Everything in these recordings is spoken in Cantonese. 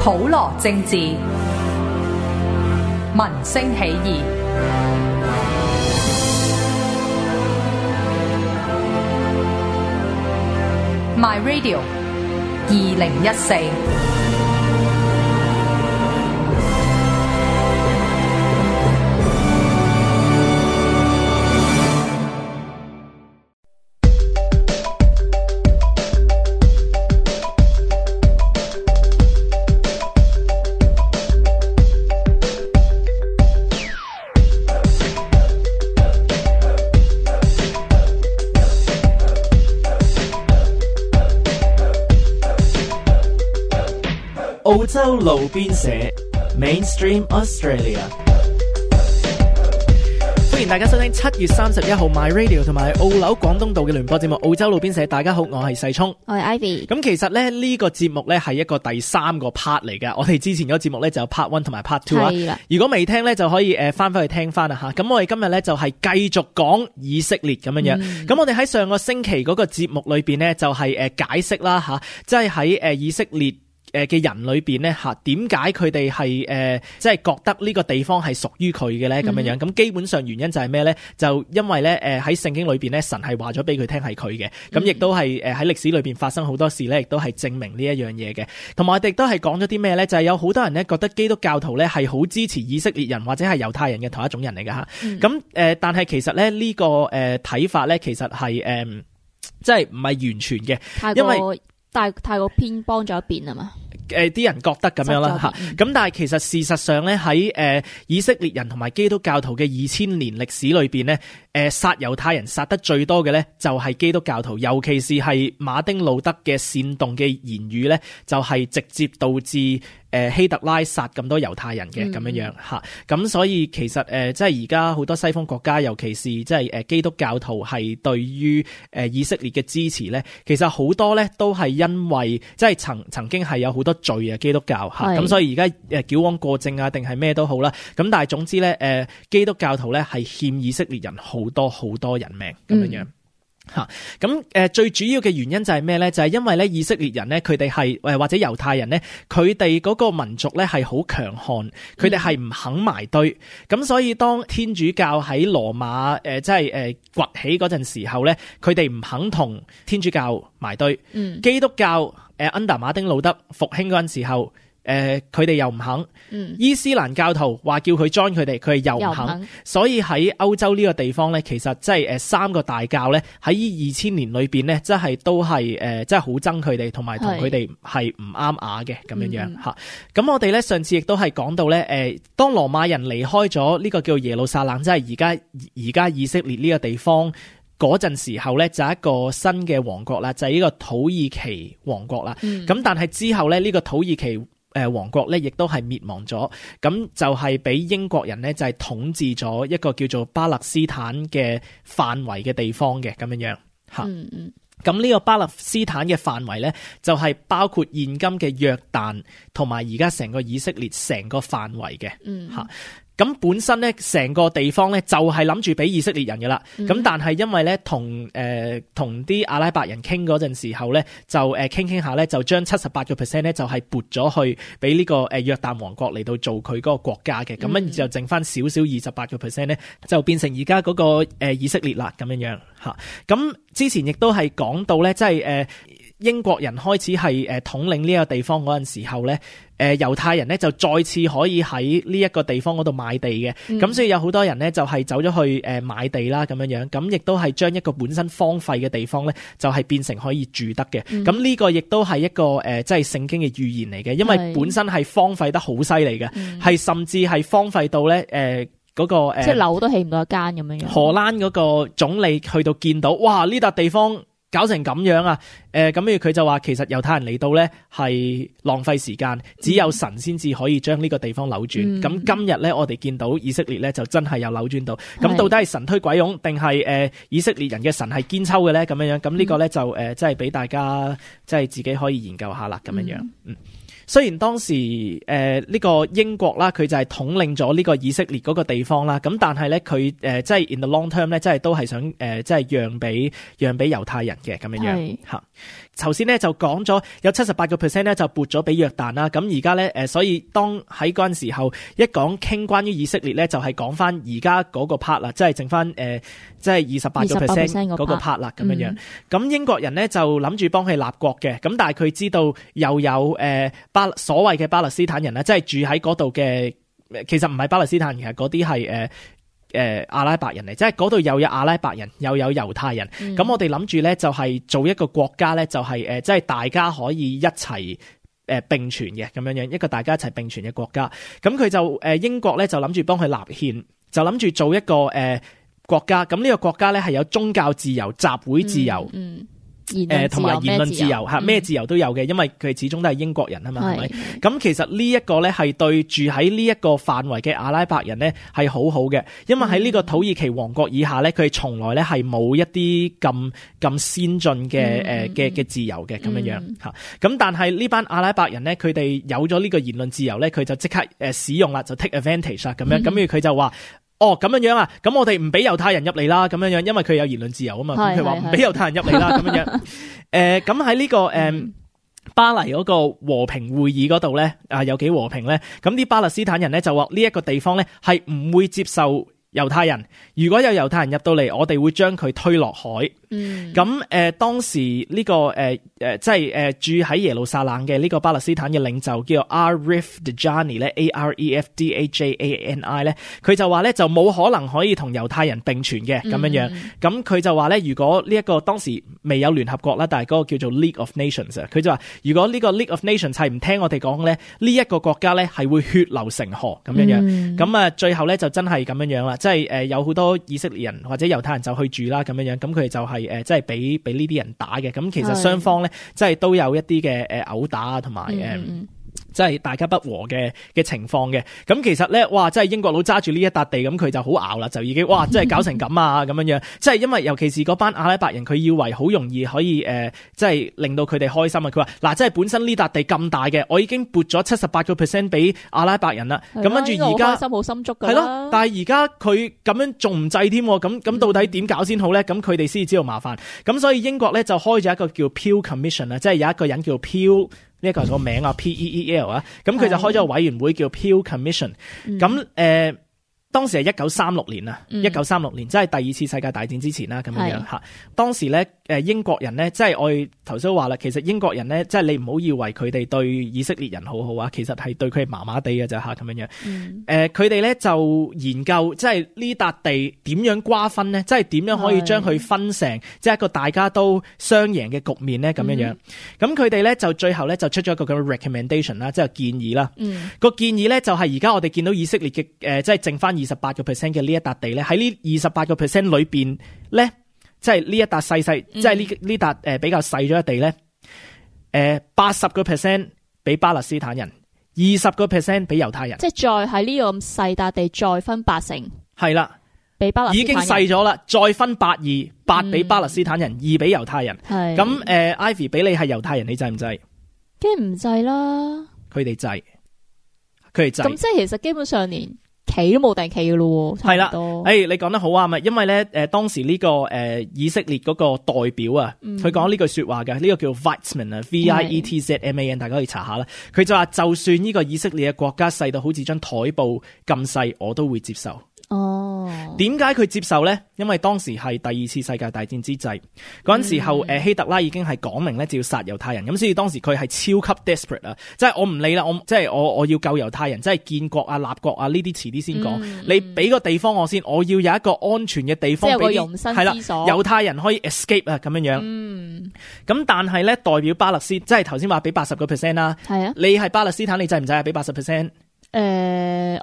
普羅政治，民聲起義。My Radio 2014。澳洲路邊社 Mainstream Australia， 歡迎大家收聽7月31號 My Radio 同埋澳紐廣東道嘅聯播節目澳洲路邊社。大家好，我係細聰，我係 Ivy。咁其實咧呢個節目咧係一個第3個 part 嚟嘅。我哋之前嗰個節目咧就有 part 1同埋 part 2啊。如果未聽咧就可以翻去聽翻啦吓。咁我哋今日咧就係繼續講以色列咁樣樣。咁我哋喺上個星期嗰個節目裏邊咧就係解釋啦吓，即係喺以色列嘅人裏邊咧吓，點解佢哋係即係覺得呢個地方係屬於佢嘅咧咁樣樣？咁基本上原因就係咩咧？就因為咧喺聖經裏邊咧，神係話咗俾佢聽係佢嘅，咁亦都係喺歷史裏邊發生好多事咧，亦都係證明呢一樣嘢嘅。同埋我哋都係講咗啲咩咧？就係有好多人咧覺得基督教徒咧係好支持以色列人或者係猶太人嘅同一種人嚟㗎吓。咁但係其實咧呢個睇法咧，其實係即係唔係完全嘅，因為太過偏幫咗一邊啊嘛。啲人覺得咁樣啦吓，咁但係其實事實上咧喺以色列人同埋基督教徒嘅2000年歷史裏邊咧，殺猶太人殺得最多嘅咧就係基督教徒，尤其是係馬丁路德嘅煽動嘅言語咧，就係直接導致希特拉殺咁多猶太人嘅咁樣樣吓。咁所以其實即係而家好多西方國家，尤其是即係基督教徒係對於以色列嘅支持咧，其實好多咧都係因為即係曾經係有好多罪啊，基督教吓，咁所以而家矯枉過正啊，定係咩都好啦。咁但係總之咧，基督教徒咧係欠以色列人好多人命咁樣樣吓。咁最主要嘅原因就係咩咧？就係因為咧以色列人咧，佢哋係或者猶太人咧，佢哋嗰個民族咧係好強悍，佢哋係唔肯埋堆。咁所以當天主教喺羅馬即係崛起嗰陣時候咧，佢哋唔肯同天主教埋堆。基督教under 馬丁路德復興嗰陣時候，佢哋又唔肯。伊斯蘭教徒話叫佢 join 佢哋，佢哋又唔肯。所以喺歐洲呢個地方咧，其實即係3個大教咧喺2000年裏邊咧，即係都係即係好憎佢哋，同埋同佢哋係唔啱牙嘅咁樣樣吓。咁我哋咧上次亦都係講到咧，當羅馬人離開咗呢個叫耶路撒冷，即係而家以色列呢個地方嗰陣時候咧，就係一個新嘅王國啦，就係呢個土耳其王國啦。咁但係之後咧，呢個土耳其王國咧，亦都係滅亡咗。咁就係俾英國人咧，就係統治咗一個叫做巴勒斯坦嘅範圍嘅地方嘅咁樣樣吓。咁呢個巴勒斯坦嘅範圍咧，就係包括現今嘅約旦同埋而家成個以色列成個範圍嘅吓。咁本身咧，成個地方咧就係諗住俾以色列人嘅啦。咁但係因為咧同啲阿拉伯人傾嗰陣時候咧，就傾下咧，就將78% 咧就係撥咗去俾呢個約旦王國嚟到做佢嗰個國家嘅。咁跟住就剩翻少少28% 咧，就變成而家嗰個以色列啦咁樣樣吓。咁之前亦都係講到咧，即係英國人開始係統領呢個地方嗰陣時候咧，猶太人咧就再次可以喺呢一個地方嗰度買地嘅。咁所以有好多人咧就係走咗去買地啦咁樣樣，咁亦都係將一個本身荒廢嘅地方咧，就係變成可以住得嘅。咁呢個亦都係一個即係聖經嘅預言嚟嘅，因為本身係荒廢得好犀利嘅，係甚至係荒廢到咧嗰個即係樓都起唔到一間咁樣樣。荷蘭嗰個總理去到見到，哇！呢笪地方搞成咁樣啊！咁跟住佢就話，其實猶太人嚟到咧係浪費時間，只有神先至可以將呢個地方扭轉。咁今日咧，我哋見到以色列咧就真係有扭轉到。咁到底係神推鬼擁，定係以色列人嘅神係堅抽嘅咧？咁樣樣，咁呢個咧就即係俾大家即係自己可以研究下啦。咁樣樣，雖然當時呢個英國啦，佢就係統領咗呢個以色列嗰個地方啦，咁但係咧佢即係 in the long term 咧，即係都係想即係讓俾猶太人嘅咁樣嚇。頭先咧就講咗有78%咧就撥咗俾約旦啦，咁而家咧所以當喺嗰陣時候一講傾關於以色列咧，就係講翻而家嗰個 part 啦，即係剩翻即係28% 嗰個 part 啦咁樣。咁英國人咧就諗住幫佢立國嘅，咁但係佢知道又有所謂嘅巴勒斯坦人啦，即係住喺嗰度嘅，其實唔係巴勒斯坦人，其實嗰啲係阿拉伯人嚟，即係嗰度又有阿拉伯人又有猶太人。咁我哋諗住咧就係做一個國家咧，就係即係大家可以一齊並存嘅咁樣，一個大家一齊並存嘅國家。咁佢就英國咧就諗住幫佢立憲，就諗住做一個國家。咁呢個國家咧係有宗教自由、集會自由。同埋言論自由嚇，咩自由都有嘅，因為佢始終都係英國人啊嘛，係咪？咁其實呢一個咧係對住喺呢一個範圍嘅阿拉伯人咧係好好嘅，因為喺呢個土耳其王國以下咧，佢從來咧係冇一啲咁先進嘅自由嘅咁樣嚇。咁但係呢班阿拉伯人咧，佢哋有咗呢個言論自由咧，佢就即刻使用啦，就 take advantage 啦咁樣。咁佢就話。哦，咁樣啊，咁我哋唔俾猶太人入嚟啦，咁樣，因為佢有言論自由啊嘛，佢話唔俾猶太人入嚟啦，咁樣。咁喺呢個巴黎嗰個和平會議嗰度咧，有幾和平咧？咁啲巴勒斯坦人咧就話呢一個地方咧係唔會接受猶太人，如果有猶太人入到嚟，我哋會將佢推落海。咁當時呢個即係住喺耶路撒冷嘅呢個巴勒斯坦嘅領袖叫做 Arif Dajani 咧 ，Arefdajani 咧，佢就話咧就冇可能可以同猶太人並存嘅咁樣。咁佢就話咧，如果呢一個當時未有聯合國啦，但係嗰個叫做 League of Nations 啊，佢就話如果呢個 League of Nations 係唔聽我哋講咧，呢一個國家咧係會血流成河咁樣。咁最後咧就真係咁樣啦，即係有好多以色列人或者猶太人就去住啦咁樣。咁佢哋就係即係俾呢啲人打嘅。咁其實雙方咧即係都有一啲嘅毆打啊，同埋即係大家不和嘅情況嘅。咁其實咧，哇！即係英國佬揸住呢一笪地，咁佢就好拗啦，就已經哇！即係搞成咁啊咁樣。即係因為尤其是嗰班阿拉伯人，佢以為好容易可以即係令到佢哋開心啊。佢話嗱，即係本身呢笪地咁大嘅，我已經撥咗78%俾阿拉伯人啦。咁跟住而家開心好心足㗎啦。係咯，但係而家佢咁樣仲唔制添？咁到底點搞先好咧？咁佢哋先知道麻煩。咁所以英國咧就開咗一個叫 Peel Commission 啊，即係有一個人叫 Peel。呢一個係個名啊 ，Peel 啊，咁佢就開咗個委員會叫 Peel Commission。咁當時係1936年啊，1936年即係第二次世界大戰之前啦，咁樣嚇。當時咧英國人咧，即係我哋頭先都話啦，其實英國人咧，即係你唔好以為佢哋對以色列人好好啊，其實係對佢麻麻地嘅啫嚇，咁樣。佢哋咧就研究即係呢笪地點樣瓜分咧，即係點樣可以將佢分成即係一個大家都雙贏嘅局面咧，咁樣。咁佢哋咧就最後咧就出咗一個咁嘅 recommendation 啦，即係建議啦。個建議咧就係而家我哋見到以色列嘅即係剩翻28% 嘅呢一笪地咧，喺呢28% 裏邊咧，即係呢一笪細，即係呢笪比較細咗嘅地咧，80% 俾巴勒斯坦人，20% 俾猶太人，即係再喺呢個咁細笪地再分80%，係啦，俾巴勒斯坦人已經細咗啦，再分8俾巴勒斯坦人，2俾猶太人。係咁Ivy 俾你係猶太人，你制唔制？梗係唔制啦，佢哋制。咁即係其實基本上連企都冇定企嘅咯，係啦。你講得好啱啊，因為咧當時呢個以色列嗰個代表啊，佢講呢句說話嘅，呢個叫 Weizmann 啊 ，Vietman，大家可以查下啦。佢就話就算呢個以色列嘅國家細到好似張台布咁細，我都會接受。點解佢接受咧？因為當時係第二次世界大戰之際，嗰陣時候希特拉已經係講明咧，就要殺猶太人，咁所以當時佢係超級 desperate 啊，即係我唔理啦，我要救猶太人，即係建國啊、立國啊呢啲遲啲先講，你俾個地方我先，我要有一個安全嘅地方俾猶太人可以 escape 啊咁樣。咁但係咧代表巴勒斯，即係頭先話俾80% 啦，係啊，你係巴勒斯坦，你制唔制啊？俾80%？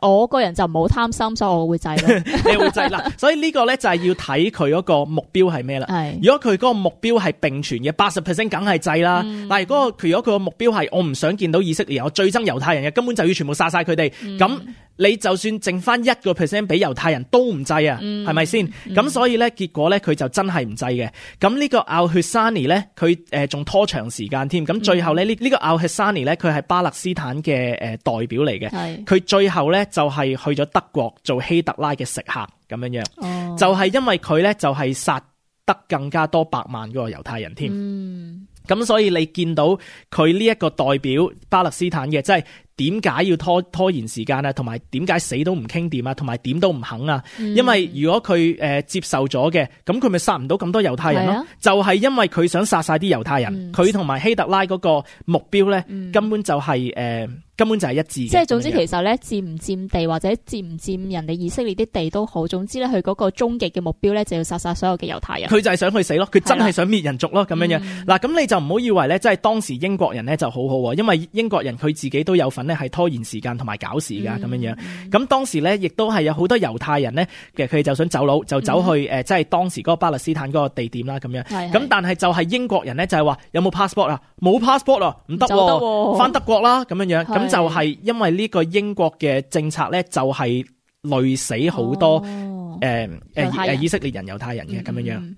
我個人就唔好貪心，所以我會制咯。你會制啦，所以呢個咧就係要睇佢嗰個目標係咩啦。如果佢嗰個目標係並存嘅80%，梗係制啦。但係如果佢個目標係我唔想見到以色列，我最憎猶太人嘅，根本就要全部殺晒佢哋。咁你就算剩翻1% 俾猶太人都唔制啊，係咪先？咁所以咧，結果咧佢就真係唔制嘅。咁呢個奧血沙尼咧，佢仲拖長時間添。咁最後咧，呢個奧血沙尼咧，佢係巴勒斯坦嘅代表嚟嘅。佢最後咧就係去咗德國做希特拉嘅食客咁樣樣。就係因為佢咧就係殺得更加多百萬個猶太人添。咁所以你見到佢呢一個代表巴勒斯坦嘅，即係點解要拖延時間啊？同埋點解死都唔傾掂啊？同埋點都唔肯啊？因為如果佢接受咗嘅，咁佢咪殺唔到咁多猶太人咯？就係因為佢想殺晒啲猶太人，佢同埋希特拉嗰個目標咧，根本就係一致嘅。即係總之，其實咧佔唔佔地或者佔唔佔人哋以色列啲地都好，總之咧佢嗰個終極嘅目標咧就要殺晒所有嘅猶太人。佢就係想去死咯，佢真係想滅人族咯，咁樣樣。嗱，咁你就唔好以為咧，即係當時英國人咧就好好，因為英國人佢自己都有份咧係拖延時間同埋搞事噶，咁樣樣。咁當時咧亦都係有好多猶太人咧，其實佢哋就想走佬，就走去即係當時嗰個巴勒斯坦嗰個地點啦，咁樣。咁但係就係英國人咧就係話有冇 passport 啊？冇 passport 啊，唔得，翻德國啦，咁樣樣。咁就係因為呢個英國嘅政策咧，就係累死好多以色列人、猶太人嘅咁樣樣。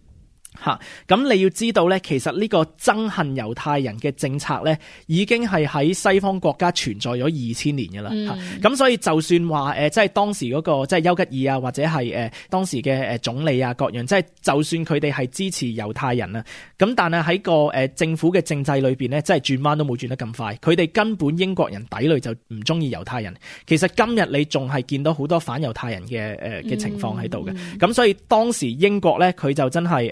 咁你要知道咧，其實呢個憎恨猶太人嘅政策咧，已經係喺西方國家存在咗2000年噶啦。咁所以就算話即係當時嗰個即係丘吉爾啊，或者係當時嘅總理啊各樣，即係就算佢哋係支持猶太人啊，咁但係喺個政府嘅政制裏邊咧，即係轉彎都冇轉得咁快。佢哋根本英國人底裏就唔中意猶太人。其實今日你仲係見到好多反猶太人嘅情況喺度嘅。咁所以當時英國咧，佢就真係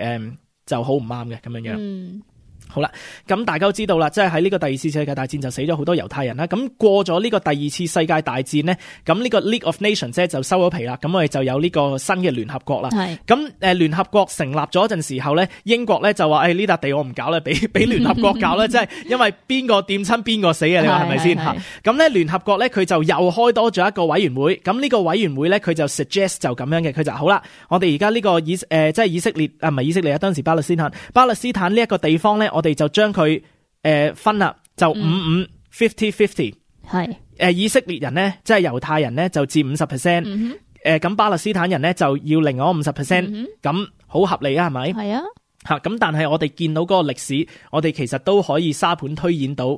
就好唔啱嘅咁樣樣。好啦，咁大家都知道啦，即係喺呢個第二次世界大戰就死咗好多猶太人啦。咁過咗呢個第二次世界大戰呢，咁呢個 League of Nations 就收咗皮啦。咁我哋就有呢個新嘅聯合國啦。咁聯合國成立咗一陣時候呢，英國咧就話呢笪地我唔搞啦，俾聯合國搞啦。即係因為邊個掂親邊個死啊？你話係咪先吓？咁咧聯合國咧佢就又開多咗一個委員會。咁呢個委員會咧佢就 suggest 就咁樣嘅，佢就好啦，我哋而家呢個即係以色列啊，唔係以色列啊，當時巴勒斯坦呢一個地方咧，我哋就將佢分啦，就50-50，係以色列人咧，即係猶太人咧就佔 50%，咁巴勒斯坦人咧就要另外 50%，咁好合理啊，係咪？係啊，咁但係我哋見到嗰個歷史，我哋其實都可以沙盤推演到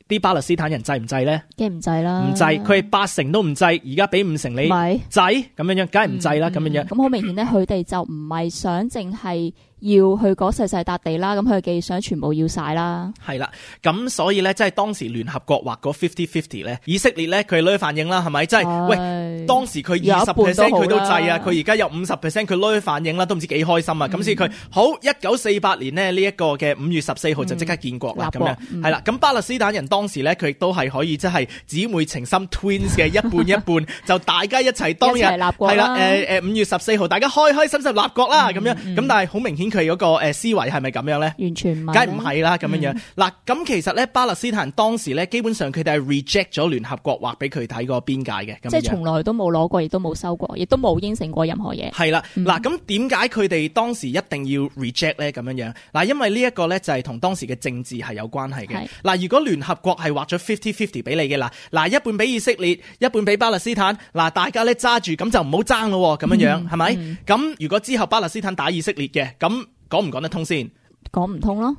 啲巴勒斯坦人制唔制咧？梗係唔制啦，唔制，佢係80%都唔制，而家俾5%你制，咁樣樣，梗係唔制啦，咁樣樣。咁好明顯咧，佢哋就唔係想淨係要去嗰細細笪地啦，咁佢哋想全部要晒啦。係啦，咁所以咧，即係當時聯合國劃嗰50-50咧，以色列咧佢攞去反應啦，係咪？即係喂，當時佢20%佢都制啊，佢而家有50%佢攞去反應啦，都唔知幾開心啊！咁所以佢好1948年呢，呢一個嘅5月14號就即刻建國啦，咁樣係啦。咁巴勒斯坦人當時咧佢亦都係可以即係姊妹情深 twins 嘅一半一半，就大家一齊當日係啦5月14號大家開開心心立國啦，咁樣咁，但係好明顯。佢嗰個思維係咪咁樣咧？完全唔係，梗係唔係啦咁樣樣。嗱，咁其實咧巴勒斯坦人當時咧基本上佢哋係 reject 咗聯合國劃俾佢睇個邊界嘅，即係從來都冇攞過，亦都冇收過，亦都冇應承過任何嘢。係啦，嗱，咁點解佢哋當時一定要 reject 咧？咁樣樣嗱，因為呢一個咧就係同當時嘅政治係有關係嘅。嗱，如果聯合國係劃咗50-50俾你嘅嗱一半俾以色列，一半俾巴勒斯坦，嗱大家咧揸住咁就唔好爭咯，咁樣樣係咪？咁如果之後巴勒斯坦打以色列嘅咁。講唔講得通先？講唔通咯，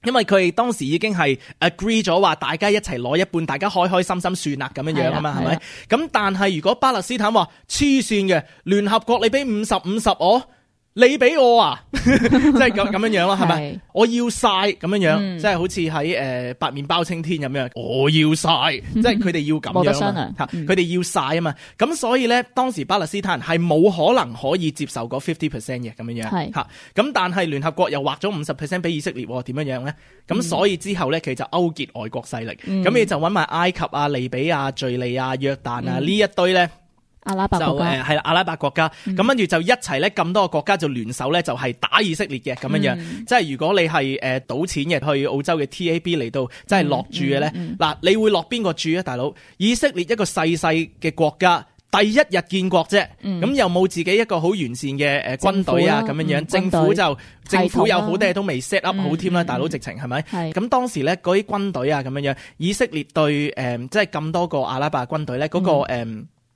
因為佢哋當時已經係 agree 咗話，大家一齊攞一半，大家開開心心算啦，咁樣樣啊嘛，係咪？咁但係如果巴勒斯坦話黐線嘅，聯合國你俾50-50我。你俾我啊，即係咁樣樣咯，係咪？我要晒咁樣樣，即係好似喺白面包青天咁樣，我要晒，即係佢哋要咁樣，冇得商量，佢哋要晒啊嘛。咁所以咧，當時巴勒斯坦人係冇可能可以接受嗰50% 嘅咁樣樣，吓。咁但係聯合國又劃咗50% 俾以色列，點樣樣咧？咁所以之後咧，佢就勾結外國勢力，咁你就搵埋埃及啊、利比亞、敘利亞、約旦啊呢一堆咧。阿拉伯國家係啦，阿拉伯國家咁跟住就一齊咧，咁多個國家就聯手咧，就係打以色列嘅咁樣樣。即係如果你係賭錢嘅去澳洲嘅 TAB 嚟到，即係落注嘅咧，嗱，你會落邊個注啊，大佬？以色列一個細細嘅國家，第一日建國啫，咁又冇自己一個好完善嘅軍隊啊，咁樣樣，政府有好多嘢都未 set up 好添啦，大佬直情係咪？咁當時咧嗰啲軍隊啊咁樣樣，以色列對即係咁多個阿拉伯軍隊咧嗰個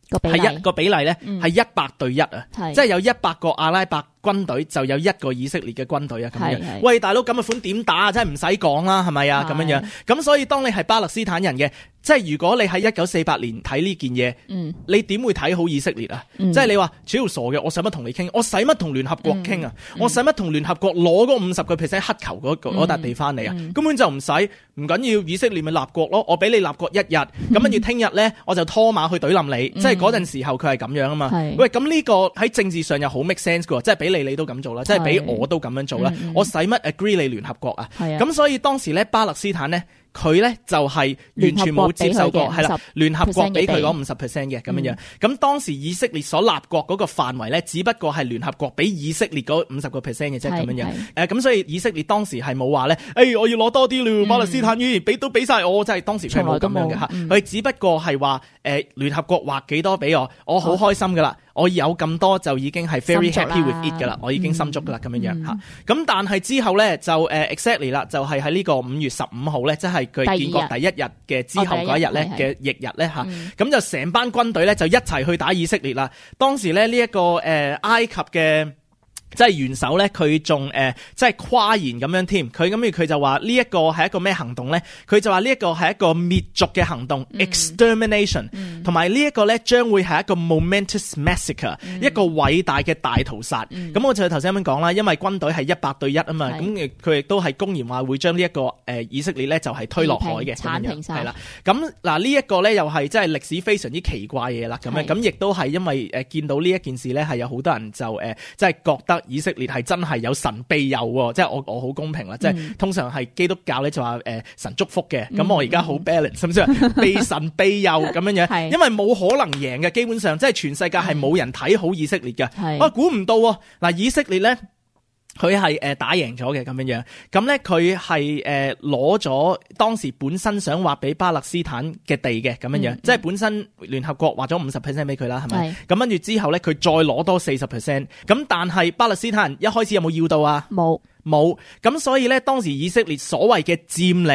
個比例咧係100對1啊，即係有100個阿拉伯軍隊就有一個以色列嘅軍隊啊，咁樣。喂，大佬咁嘅款點打啊？真係唔使講啦，係咪啊？咁樣樣。咁所以當你係巴勒斯坦人嘅，即係如果你喺1948年睇呢件嘢，你點會睇好以色列啊？即係你話超傻嘅，我使乜同你傾？我使乜同聯合國傾啊？我使乜同聯合國攞嗰50% 黑球嗰笪地翻嚟啊？根本就唔使，唔緊要，以色列咪立國咯。我俾你立國1日，咁跟住聽日咧我就拖馬去懟冧你。即係嗰陣時候佢係咁樣啊嘛。喂，咁呢個喺政治上又好 make sense 嘅，即係俾你都咁做啦，即係俾我都咁樣做啦。我使乜 agree 你聯合國啊？咁所以當時咧巴勒斯坦咧，佢咧就係完全冇接受過，係啦，聯合國俾佢講50% 嘅咁樣樣。咁當時以色列所立國嗰個範圍咧，只不過係聯合國俾以色列嗰50% 嘅啫，咁樣樣。咁所以以色列當時係冇話咧，我要攞多啲咯，巴勒斯坦語俾都俾晒我，即係當時佢冇咁樣嘅嚇。佢只不過係話聯合國劃幾多俾我好開心噶啦。我有咁多就已經係 very happy with it 噶啦，我已經心足噶啦咁樣樣嚇。咁但係之後咧就exactly 啦，就係喺呢個5月15號咧，即係佢建國第一日嘅之後嗰一日咧嘅翌日咧嚇。咁就成班軍隊咧就一齊去打以色列啦。當時咧呢一個埃及嘅即係元首咧，佢仲即係誇言咁樣添。佢就話呢一個係一個咩行動咧？佢就話呢一個係一個滅族嘅行動 extermination， 同埋呢一個咧將會係一個 momentous massacre，一個偉大嘅大屠殺。咁我就頭先咁樣講啦，因為軍隊係100對1啊嘛，咁佢亦都係公然話會將呢一個以色列咧就係推落海嘅，剷平晒。係啦。咁嗱呢一個咧又係即係歷史非常之奇怪嘢啦。咁樣咁亦都係因為見到呢一件事咧係有好多人就即係覺得以色列係真係有神庇佑喎，即係我好公平啦，即係通常係基督教咧就話神祝福嘅，咁我而家好 balance，係咪先？被神庇佑咁樣樣，因為冇可能贏嘅，基本上即係全世界係冇人睇好以色列嘅。我估唔到嗱，以色列咧。佢係打贏咗嘅咁樣樣，咁咧佢係攞咗當時本身想劃俾巴勒斯坦嘅地嘅咁樣樣，即係本身聯合國劃咗50% 俾佢啦，係咪？咁跟住之後咧，佢再攞多40%，咁但係巴勒斯坦人一開始有冇要到啊？冇，咁所以咧當時以色列所謂嘅佔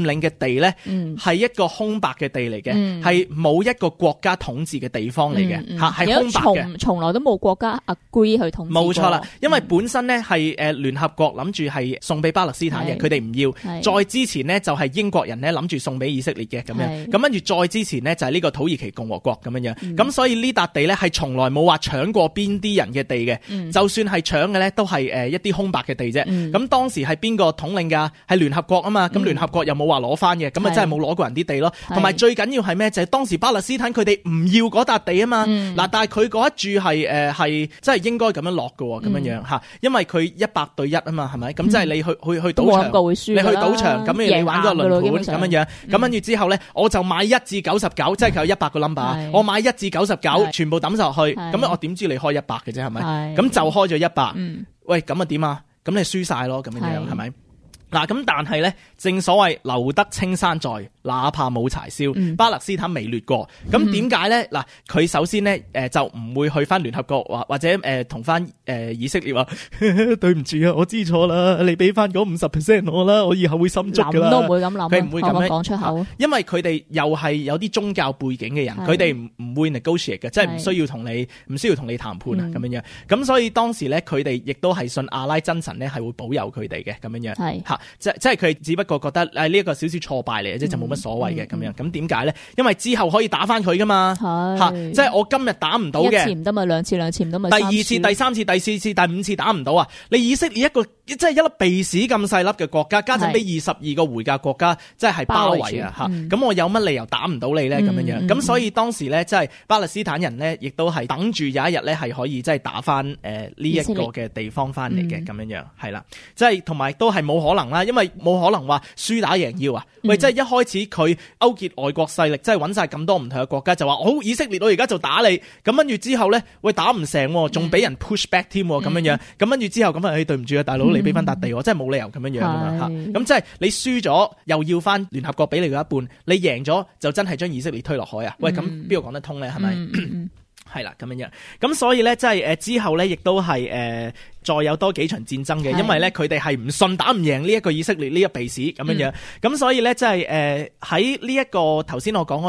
領嘅地咧，係一個空白嘅地嚟嘅，係冇一個國家統治嘅地方嚟嘅，係空白嘅，從來都冇國家 agree 去統治。冇錯啦，因為本身咧係聯合國諗住係送俾巴勒斯坦嘅，佢哋唔要。再之前呢，就係英國人咧諗住送俾以色列嘅咁樣，咁跟住再之前呢，就係呢個土耳其共和國咁樣樣，咁所以呢笪地咧係從來冇話搶過邊啲人嘅地嘅，就算係搶嘅咧都係一啲空白嘅地啫。咁當時係邊個統領㗎？係聯合國啊嘛。咁聯合國又冇話攞翻嘅，咁啊真係冇攞過人啲地咯。同埋最緊要係咩？就係當時巴勒斯坦佢哋唔要嗰笪地啊嘛。嗱，但係佢嗰一注係真係應該咁樣落㗎喎，咁樣樣嚇，因為佢100對1啊嘛，係咪？咁即係你去賭場，你去賭場咁你玩嗰個輪盤咁樣樣，咁跟住之後咧，我就買1至99，即係佢有100個 number，我買1至99全部抌晒落去，咁我點知你開100嘅啫，係咪？咁就開咗100。喂，咁啊點啊？咁你輸晒咯，咁樣樣係咪？嗱，咁但係咧，正所謂留得青山在，哪怕冇柴燒。巴勒斯坦未掠過，咁點解咧？嗱，佢首先咧，就唔會去翻聯合國或者同翻以色列話，對唔住啊，我知錯啦，你俾翻嗰50% 我啦，我以後會心足噶啦。諗都唔會咁諗，佢唔會咁樣講出口，因為佢哋又係有啲宗教背景嘅人，佢哋唔會 negotiate 嘅，即係唔需要同你談判啊，咁樣樣。咁所以當時咧，佢哋亦都係信阿拉真神咧，係會保佑佢哋嘅咁樣樣。嚇，即係佢只不過覺得呢一個少少挫敗嚟嘅啫，就冇乜所謂嘅咁樣。咁點解咧？因為之後可以打翻佢噶嘛。嚇，即係我今日打唔到嘅，一次唔得咪兩次唔得咪第二次、第三次、第四次、第五次打唔到啊！你以色列一個即係一粒鼻屎咁細粒嘅國家，加上俾22個回教國家即係包圍啊！嚇，咁我有乜理由打唔到你咧？咁樣樣咁，所以當時咧，即係巴勒斯坦人咧，亦都係等住有一日咧，係可以即係打翻呢一個嘅地方翻嚟嘅咁樣樣，係啦，即係同埋都係冇可能啦，因為冇可能話輸打贏要啊！喂，即係一開始佢勾結外國勢力，即係揾晒咁多唔同嘅國家，就話好以色列，我而家就打你。咁跟住之後咧，喂打唔成，仲俾人 push back 添咁樣樣。咁跟住之後咁啊，對唔住啊，大佬，你俾翻笪地我，真係冇理由咁樣樣噶嘛嚇。咁即係你輸咗又要翻聯合國俾你嗰一半，你贏咗就真係將以色列推落海啊！喂，咁邊個講得通咧？係咪？係啦，咁樣樣。咁所以咧，即係之後咧，亦都係再有多幾場戰爭嘅，因為咧佢哋係唔信打唔贏呢一個以色列呢一鼻屎咁樣樣。咁所以咧，即係喺呢一個頭先我講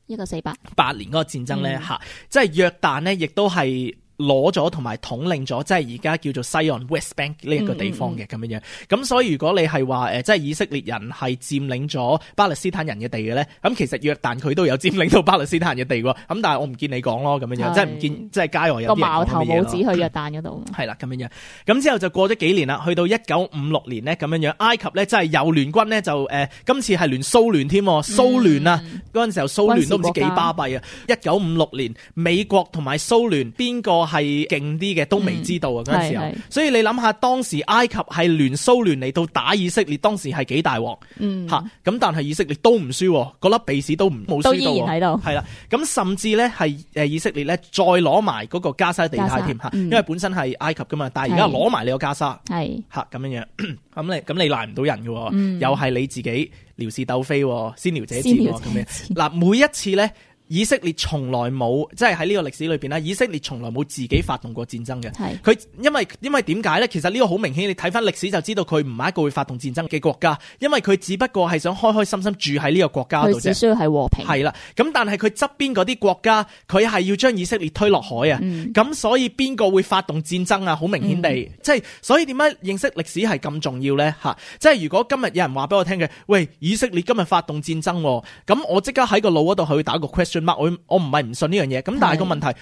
嗰1948年嗰個戰爭咧即係約旦咧，亦都係攞咗同埋統領咗，即係而家叫做西岸 West Bank 呢一個地方嘅咁樣。咁所以如果你係話即係以色列人係佔領咗巴勒斯坦人嘅地嘅咧，咁其實約旦佢都有佔領到巴勒斯坦人嘅地喎。咁但係我唔見你講咯，咁樣即係唔見即係街外有啲人講乜嘢咯。個矛頭冇指去約旦嗰度。係啦，咁樣。咁之後就過咗幾年啦，去到1956年咧咁樣，埃及咧真係又聯軍咧就今次係聯蘇聯添，蘇聯啊嗰陣時候蘇聯都唔知幾巴閉啊。1956年美國同埋蘇聯邊個係勁啲嘅都未知道啊嗰陣時候，所以你諗下當時埃及係聯蘇聯嚟到打以色列，當時係幾大鑊咁但係以色列都唔輸，嗰粒鼻屎都冇輸到，都依然喺度。係啦，咁甚至咧係以色列咧再攞埋嗰個加沙地帶添因為本身係埃及噶嘛，但係而家攞埋你個加沙咁樣咁你賴唔到人嘅又係你自己撩事鬥非，先撩者賤咁樣嗱，每一次咧。以色列從來冇，即係喺呢個歷史裏邊咧，以色列從來冇自己發動過戰爭嘅。佢因為點解咧？其實呢個好明顯，你睇翻歷史就知道佢唔係一個會發動戰爭嘅國家，因為佢只不過係想開開心心住喺呢個國家度啫。佢只需要係和平。係啦，咁但係佢側邊嗰啲國家，佢係要將以色列推落海啊。咁所以邊個會發動戰爭啊？好明顯地，即係所以點解認識歷史係咁重要咧？即係如果今日有人話俾我聽嘅，喂，以色列今日發動戰爭，咁我即刻喺個腦嗰度去打個 question。我唔係唔信呢樣嘢，咁但係個問題，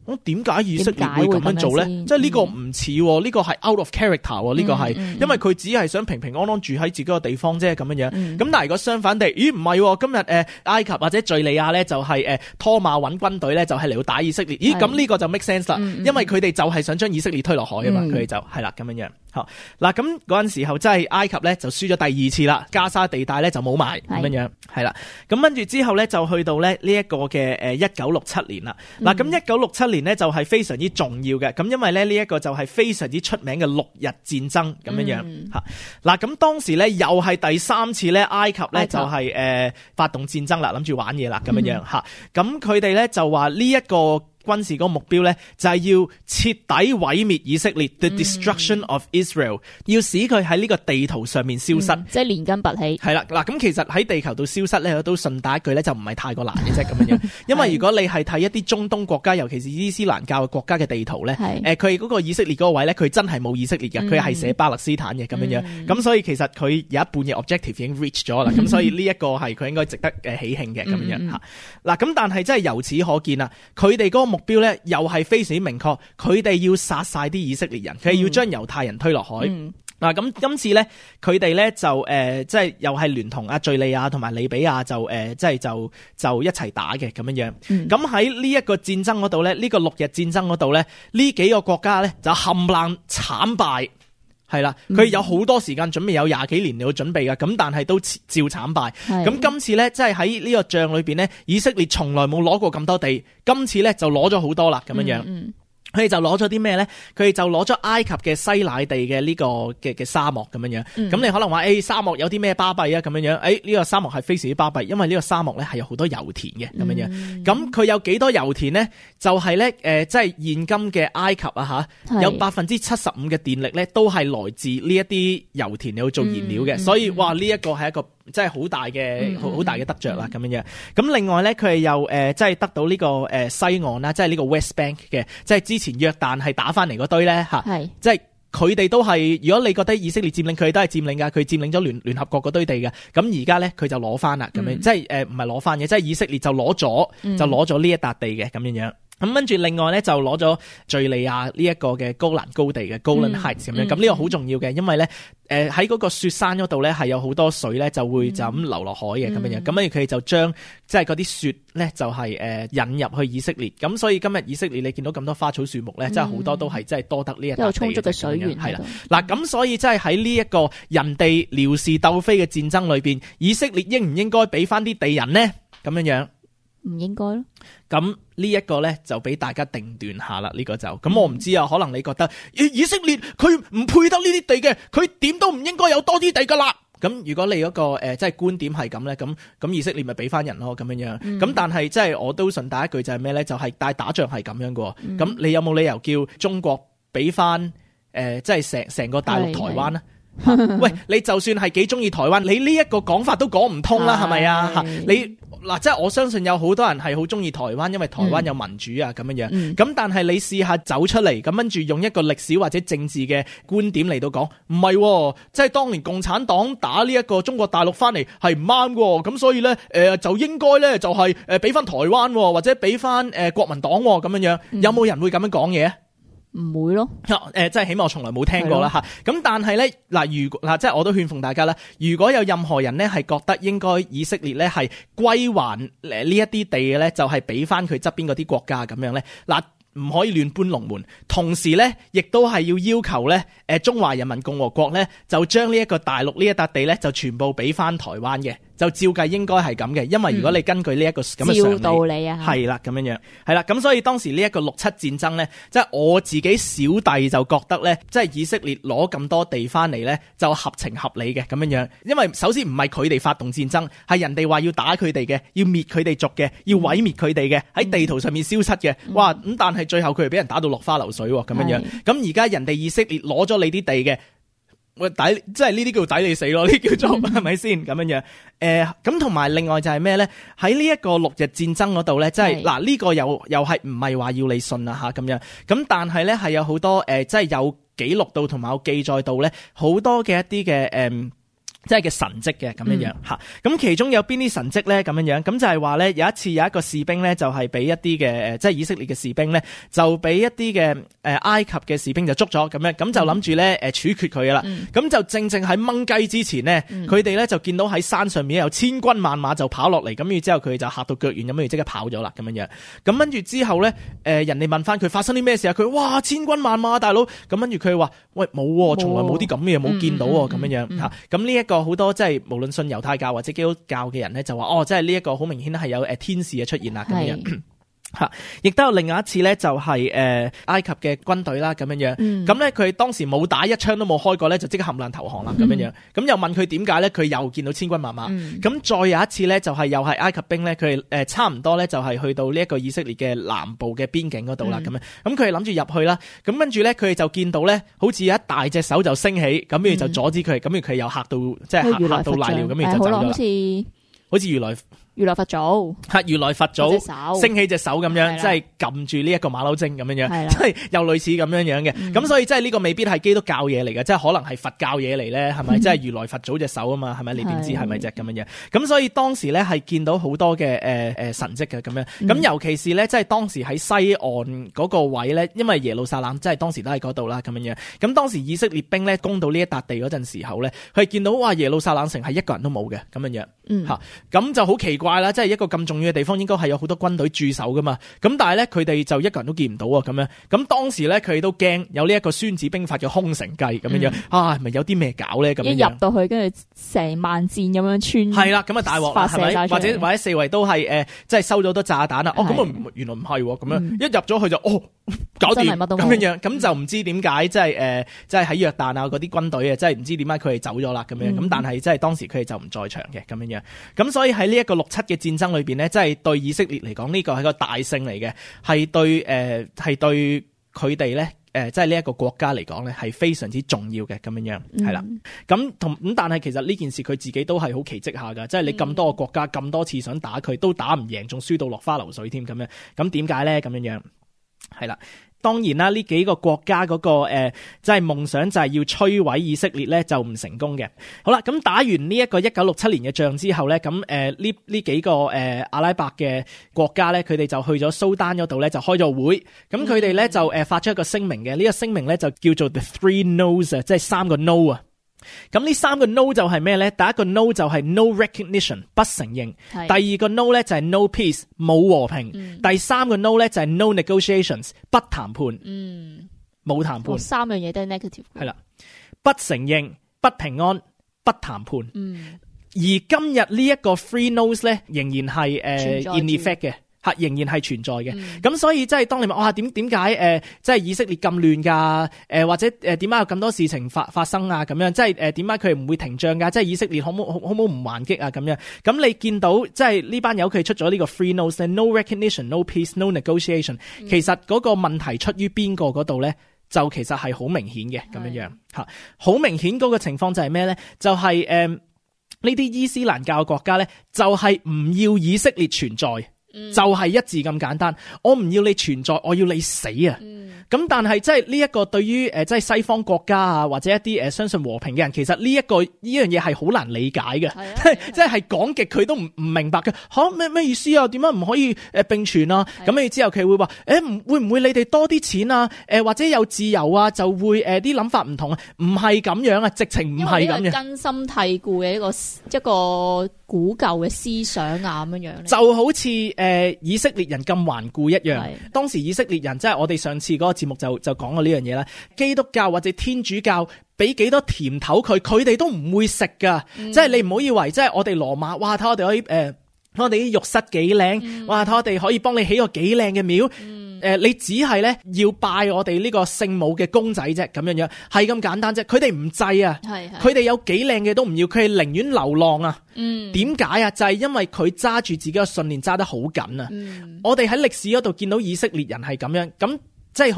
我點解以色列會咁樣做咧？即係呢個唔似，呢個係 out of character，呢個係，因為佢只係想平平安安住喺自己個地方啫，咁樣樣。咁但係如果相反地，咦唔係，今日埃及或者敘利亞咧就係拖馬揾軍隊咧就係嚟到打以色列，咦咁呢個就 make sense 啦，因為佢哋就係想將以色列推落海啊嘛，佢哋就係啦咁樣樣。好嗱，咁嗰陣時候真係埃及咧就輸咗第二次啦，加沙地帶咧就冇埋咁樣樣，係啦。咁跟住之後咧就去到咧呢一個嘅1967年啦。嗱，咁1967年咧就係非常之重要嘅，咁因為咧呢一個就係非常之出名嘅6日戰爭咁樣樣嚇。嗱，咁當時咧又係第3次咧埃及咧就係發動戰爭啦，諗住玩嘢啦咁樣樣嚇。咁佢哋咧就話呢一個軍事嗰個目標咧就係要徹底毀滅以色列 ，the destruction of Israel， 要使佢喺呢個地圖上面消失，即係連根拔起。係啦，嗱咁其實喺地球度消失咧，都順帶一句咧就唔係太過難嘅啫咁樣，因為如果你係睇一啲中東國家，尤其是伊斯蘭教嘅國家嘅地圖咧，佢嗰個以色列嗰個位咧，佢真係冇以色列嘅，佢係寫巴勒斯坦嘅咁樣樣，咁所以其實佢有一半嘅 objective 已經 reach 咗啦，咁所以呢一個係佢應該值得喜慶嘅咁樣嚇。嗱咁但係真係由此可見啊，佢哋嗰個目標咧又係非常之明確，佢哋要殺晒啲以色列人，佢係要將猶太人推落海。嗱咁今次咧，佢哋咧就即係又係聯同敘利亞同埋利比亞就即係就一齊打嘅咁樣樣。咁喺呢一個戰爭嗰度咧，呢個6日戰爭嗰度咧，呢幾個國家咧就冚唪唥慘敗。係啦，佢有好多時間準備，有20幾年嚟去準備㗎，咁但係都照慘敗。咁今次咧，即係喺呢個仗裏邊咧，以色列從來冇攞過咁多地，今次咧就攞咗好多啦，咁樣樣。佢哋就攞咗啲咩咧？佢哋就攞咗埃及嘅西乃地嘅呢個嘅沙漠咁樣樣。咁你可能話沙漠有啲咩巴閉啊？咁樣樣，呢個沙漠係非常之巴閉，因為呢個沙漠咧係有好多油田嘅咁樣樣。咁佢有幾多油田咧？就係咧即係現今嘅埃及啊嚇，有75%嘅電力咧都係來自呢一啲油田嚟去做燃料嘅。所以哇，呢一個係一個即係好大嘅得着啦咁樣樣。咁另外咧，佢係又即係得到呢個西岸啦，即係呢個 West Bank 嘅，即係之前約旦係打翻嚟嗰堆咧嚇，即係佢哋都係。如果你覺得以色列佔領，佢哋都係佔領㗎，佢佔領咗聯合國嗰堆地嘅。咁而家咧佢就攞翻啦咁樣，即係唔係攞翻嘅，即係以色列就攞咗呢一笪地嘅咁樣樣。咁跟住另外咧就攞咗敘利亞呢一個嘅高蘭高地嘅 Golan Heights 咁樣。咁呢個好重要嘅，因為咧喺嗰個雪山嗰度咧係有好多水咧就會就咁流落海嘅咁樣樣。咁跟住佢哋就將即係嗰啲雪咧就係引入去以色列。咁所以今日以色列你見到咁多花草樹木咧，真係好多都係真係多得呢一笪地有充足嘅水源係啦。嗱咁所以真係喺呢一個人哋撩事鬥非嘅戰爭裏邊，以色列應唔應該俾翻啲地人呢？咁樣樣唔應該咯。咁呢一個咧就俾大家定斷下啦，呢個就咁我唔知啊，可能你覺得以色列佢唔配得呢啲地嘅，佢點都唔應該有多啲地噶啦。咁如果你嗰個即係觀點係咁咧，咁以色列咪俾翻人咯咁樣樣。咁但係即係我都順帶一句就係咩咧？就係但係打仗係咁樣嘅。咁你有冇理由叫中國俾翻即係成個大陸台灣啊？喂，你就算係幾中意台灣，你呢一個講法都講唔通啦，係咪啊？嚇你嗱，即係我相信有好多人係好中意台灣，因為台灣有民主啊咁樣樣。咁但係你試下走出嚟，咁跟住用一個歷史或者政治嘅觀點嚟到講，唔係，即係當年共產黨打呢一個中國大陸翻嚟係唔啱嘅，咁所以咧就應該咧就係俾翻台灣或者俾翻國民黨咁樣樣，有冇人會咁樣講嘢？唔會咯，即係起碼我從來冇聽過啦嚇。咁但係咧嗱，如果嗱，即係我都勸奉大家啦，如果有任何人咧係覺得應該以色列咧係歸還呢一啲地嘅咧，就係俾翻佢側邊嗰啲國家咁樣咧，嗱，唔可以亂搬龍門。同時咧，亦都係要求咧，中華人民共和國咧就將呢一個大陸呢一笪地咧就全部俾翻台灣嘅。就照計應該係咁嘅，因為如果你根據呢一個咁嘅常理，道理啊，係啦咁樣樣，係啦，咁所以當時呢一個6·7戰爭咧，即係我自己小弟就覺得咧，即係以色列攞咁多地翻嚟咧，就合情合理嘅咁樣樣，因為首先唔係佢哋發動戰爭，係人哋話要打佢哋嘅，要滅佢哋族嘅，要毀滅佢哋嘅，喺地圖上面消失嘅，哇！咁但係最後佢哋俾人打到落花流水喎，咁樣樣，咁而家人哋以色列攞咗你啲地嘅。即係呢啲叫抵你死咯，呢啲叫做係咪先咁樣樣？咁同埋另外就係咩咧？喺呢一個6日戰爭嗰度咧，即係嗱呢個又係唔係話要你信啊嚇咁樣？咁但係咧係有好多即係有記錄到同埋有記載到咧好多嘅一啲嘅即係嘅神蹟嘅咁樣樣嚇，咁其中有邊啲神蹟咧咁樣樣？咁就係話咧有一次有一個士兵咧就係俾一啲嘅即係以色列嘅士兵咧就俾一啲嘅埃及嘅士兵就捉咗咁樣，咁就諗住咧處決佢噶啦，咁就正喺掹雞之前呢，佢哋咧就見到喺山上面有千軍萬馬就跑落嚟，咁然之後佢就嚇到腳軟咁樣，即刻跑咗啦咁樣樣。咁跟住之後咧人哋問翻佢發生啲咩事啊？佢哇千軍萬馬大佬，咁跟住佢話喂冇，從來冇啲咁嘅嘢冇見到喎咁樣樣嚇。咁呢一個好多即係無論信猶太教或者基督教嘅人咧，就話即係呢一個好明顯係有天使嘅出現啦咁樣。吓，亦都有另外一次咧，就係埃及嘅軍隊啦，咁樣樣。咁咧佢當時冇打一槍都冇開過咧，就即刻冚爛投降啦，咁樣樣。咁又問佢點解咧？佢又見到千軍萬馬。咁再有一次咧，就係又係埃及兵咧，佢哋差唔多咧，就係去到呢一個以色列嘅南部嘅邊境嗰度啦，咁樣。咁佢哋諗住入去啦，咁跟住咧，佢哋就見到咧，好似有一大隻手就升起，咁跟住就阻止佢，咁佢又嚇到即係嚇到瀨尿，咁跟住就走咗。好似如來佛祖如來佛祖升起隻手咁樣，即係撳住呢一個馬騮精咁樣樣，即係又類似咁樣樣嘅。咁所以即係呢個未必係基督教嘢嚟嘅，即係可能係佛教嘢嚟咧，係咪？即係如來佛祖隻手啊嘛，係咪？你點知係咪隻咁樣樣？咁所以當時咧係見到好多嘅神蹟嘅咁樣。咁尤其是咧，即係當時喺西岸嗰個位咧，因為耶路撒冷即係當時都喺嗰度啦，咁樣樣。咁當時以色列兵咧攻到呢一笪地嗰陣時候咧，佢係見到哇耶路撒冷城係一個人都冇嘅咁樣樣嚇，咁就好奇怪啦！即係一個咁重要嘅地方，應該係有好多軍隊駐守噶嘛。咁但係咧，佢哋就一個人都見唔到啊！咁樣，咁當時咧，佢哋都驚有呢一個孫子兵法嘅空城計咁樣樣係咪有啲咩搞咧？咁樣一入到去，跟住成萬箭咁樣穿，係啦，咁啊大鑊啦，係咪？或者四圍都係即係收咗好多炸彈啦。咁啊原來唔係咁樣，一入咗去就搞掂咁樣樣，咁就唔知點解即係即係喺約旦啊嗰啲軍隊啊，即係唔知點解佢哋走咗啦咁樣。咁但係即係當時佢哋就唔在場嘅咁樣樣。咁所以喺呢一個6·7嘅戰爭裏邊呢，即係對以色列嚟講呢個係個大勝嚟嘅，係對佢哋咧即係呢一個國家嚟講咧係非常之重要嘅咁樣樣係啦。咁但係其實呢件事佢自己都係好奇蹟下噶，即係你咁多個國家咁多次想打佢都打唔贏，仲輸到落花流水添咁樣。咁點解咧咁樣樣？係啦。當然啦，呢幾個國家嗰個即係夢想就係要摧毀以色列咧，就唔成功嘅。好啦，咁打完呢一個1967年嘅仗之後咧，咁呢幾個阿拉伯嘅國家咧，佢哋就去咗蘇丹嗰度咧，就開咗會。咁佢哋咧就發出一個聲明嘅，呢個聲明咧就叫做 The Three No's 啊，即係3個 No 啊。咁呢3個 no 就係咩咧？第一個 no 就係 no recognition 不承認，第二個 no 咧就係 no peace 冇和平，第三個 no 咧就係 no negotiations 不談判，冇談判。3樣嘢都係 negative。係啦，不承認、不平安、不談判。而今日呢一個 three no's 咧，仍然係in effect 嘅。仍然係存在嘅，咁所以即係當你問點解即係以色列咁亂㗎？或者點解有咁多事情發生啊？咁樣即係點解佢唔會停仗㗎？即係以色列可唔可唔還擊啊？咁樣咁你見到即係呢班友佢出咗呢個 three no's，no recognition、no peace、no negotiation。其實嗰個問題出於邊個嗰度咧？就其實係好明顯嘅咁樣嚇，好明顯嗰個情況就係咩咧？就係呢啲伊斯蘭教國家咧，就係唔要以色列存在，就係一字咁簡單。我唔要你存在，我要你死啊！咁但係即係呢一個對於即係西方國家啊，或者一啲相信和平嘅人，其實呢樣嘢係好難理解嘅，即係講極佢都唔明白嘅。咩意思啊？點解唔可以並存啊？咁跟住之後佢會話會唔會你哋多啲錢啊？或者有自由啊，就會啲諗法唔同啊？唔係咁樣啊，直情唔係咁樣。根深蒂固嘅一個古舊嘅思想啊咁樣就好似以色列人咁頑固一樣。當時以色列人即係我哋上次嗰個節目就講過呢樣嘢啦。基督教或者天主教俾幾多甜頭佢哋都唔會食噶。即係你唔好以為即係我哋羅馬，哇！睇我哋可以我哋啲浴室幾靚，哇！睇我哋可以幫你起個幾靚嘅廟。你只係咧要拜我哋呢個聖母嘅公仔啫，咁樣係咁簡單啫。佢哋唔制啊，佢哋有幾靚嘅都唔要，佢係寧願流浪啊。點解啊？就係因為佢揸住自己嘅信念揸得好緊啊。我哋喺歷史嗰度見到以色列人係咁樣咁。即係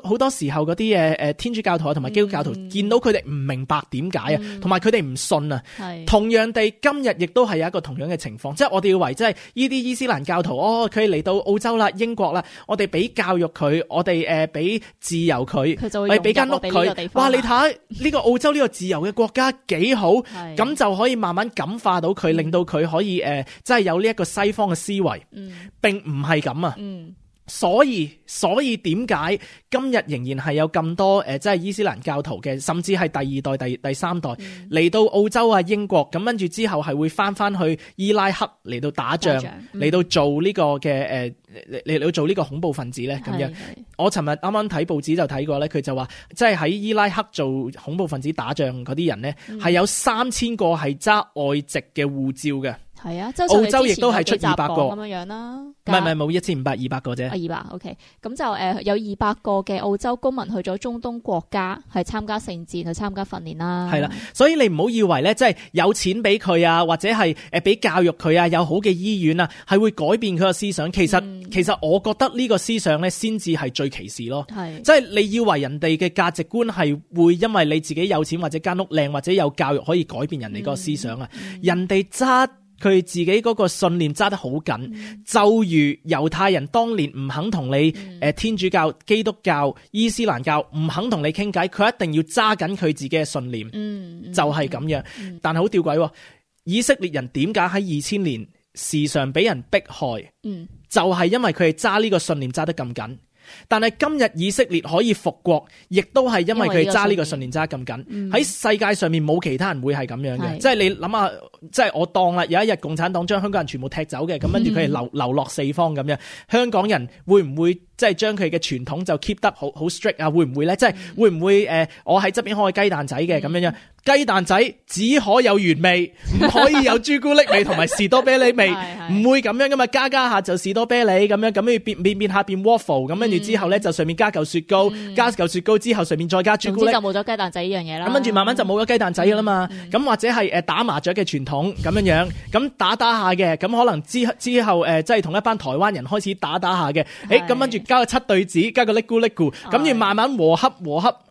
好多時候嗰啲天主教徒同埋基督教徒見到佢哋唔明白點解啊，同埋佢哋唔信啊。同樣地，今日亦都係有一個同樣嘅情況，即係我哋以為即係呢啲伊斯蘭教徒，佢嚟到澳洲啦、英國啦，我哋俾教育佢，我哋俾自由佢，我哋俾間屋佢。哇！你睇下呢個澳洲呢個自由嘅國家幾好，咁就可以慢慢感化到佢，令到佢可以即係有呢一個西方嘅思維。並唔係咁啊。所以點解今日仍然係有咁多即係伊斯蘭教徒嘅，甚至係第二代、第三代嚟到澳洲啊、英國，咁跟住之後係會翻去伊拉克嚟到打仗，嚟到做呢個嘅嚟到做呢個恐怖分子咧咁樣。我尋日啱啱睇報紙就睇過咧，佢就話即係喺伊拉克做恐怖分子打仗嗰啲人咧，係有3000個係揸外籍嘅護照嘅。係啊，澳洲亦都係出200個咁樣啦。唔係冇1500-200個啫。200 OK， 咁就有200個嘅澳洲公民去咗中東國家，係參加聖戰去參加訓練啦。係啦，所以你唔好以為咧，即係有錢俾佢啊，或者係俾教育佢啊，有好嘅醫院啊，係會改變佢個思想。其實我覺得呢個思想咧，先至係最歧視咯。即係你以為人哋嘅價值觀係會因為你自己有錢或者間屋靚或者有教育可以改變人哋個思想啊？人哋揸佢自己嗰個信念揸得好緊，就如猶太人當年唔肯同你天主教、基督教、伊斯蘭教唔肯同你傾偈，佢一定要揸緊佢自己嘅信念，就係咁樣。但係好吊詭，以色列人點解喺2000年時常俾人迫害？就係因為佢哋揸呢個信念揸得咁緊。但係今日以色列可以復國，亦都係因為佢哋揸呢個信念揸得咁緊。喺世界上面冇其他人會係咁樣嘅，即係你諗下，即係我當啦，有一日共產黨將香港人全部踢走嘅，咁跟住佢哋流落四方咁樣，香港人會唔會即係將佢嘅傳統就 keep 得好 strict 啊？會唔會咧？即係會唔會我喺側邊開雞蛋仔嘅咁樣？雞蛋仔只可有原味，唔可以有朱古力味同埋士多啤梨味，唔會咁樣噶嘛？加下就士多啤梨咁樣，咁要變下變 waffle， 咁跟住之後咧就上面加嚿雪糕，加嚿雪糕之後上面再加朱古力，總之就冇咗雞蛋仔呢樣嘢啦。咁跟住慢慢就冇咗雞蛋仔噶啦嘛。咁或者係打麻雀嘅傳統咁樣，咁打下嘅，咁可能之後即係同一班台灣人開始打下嘅，咁跟住加個七對子，加個叻咕，咁要慢慢和洽，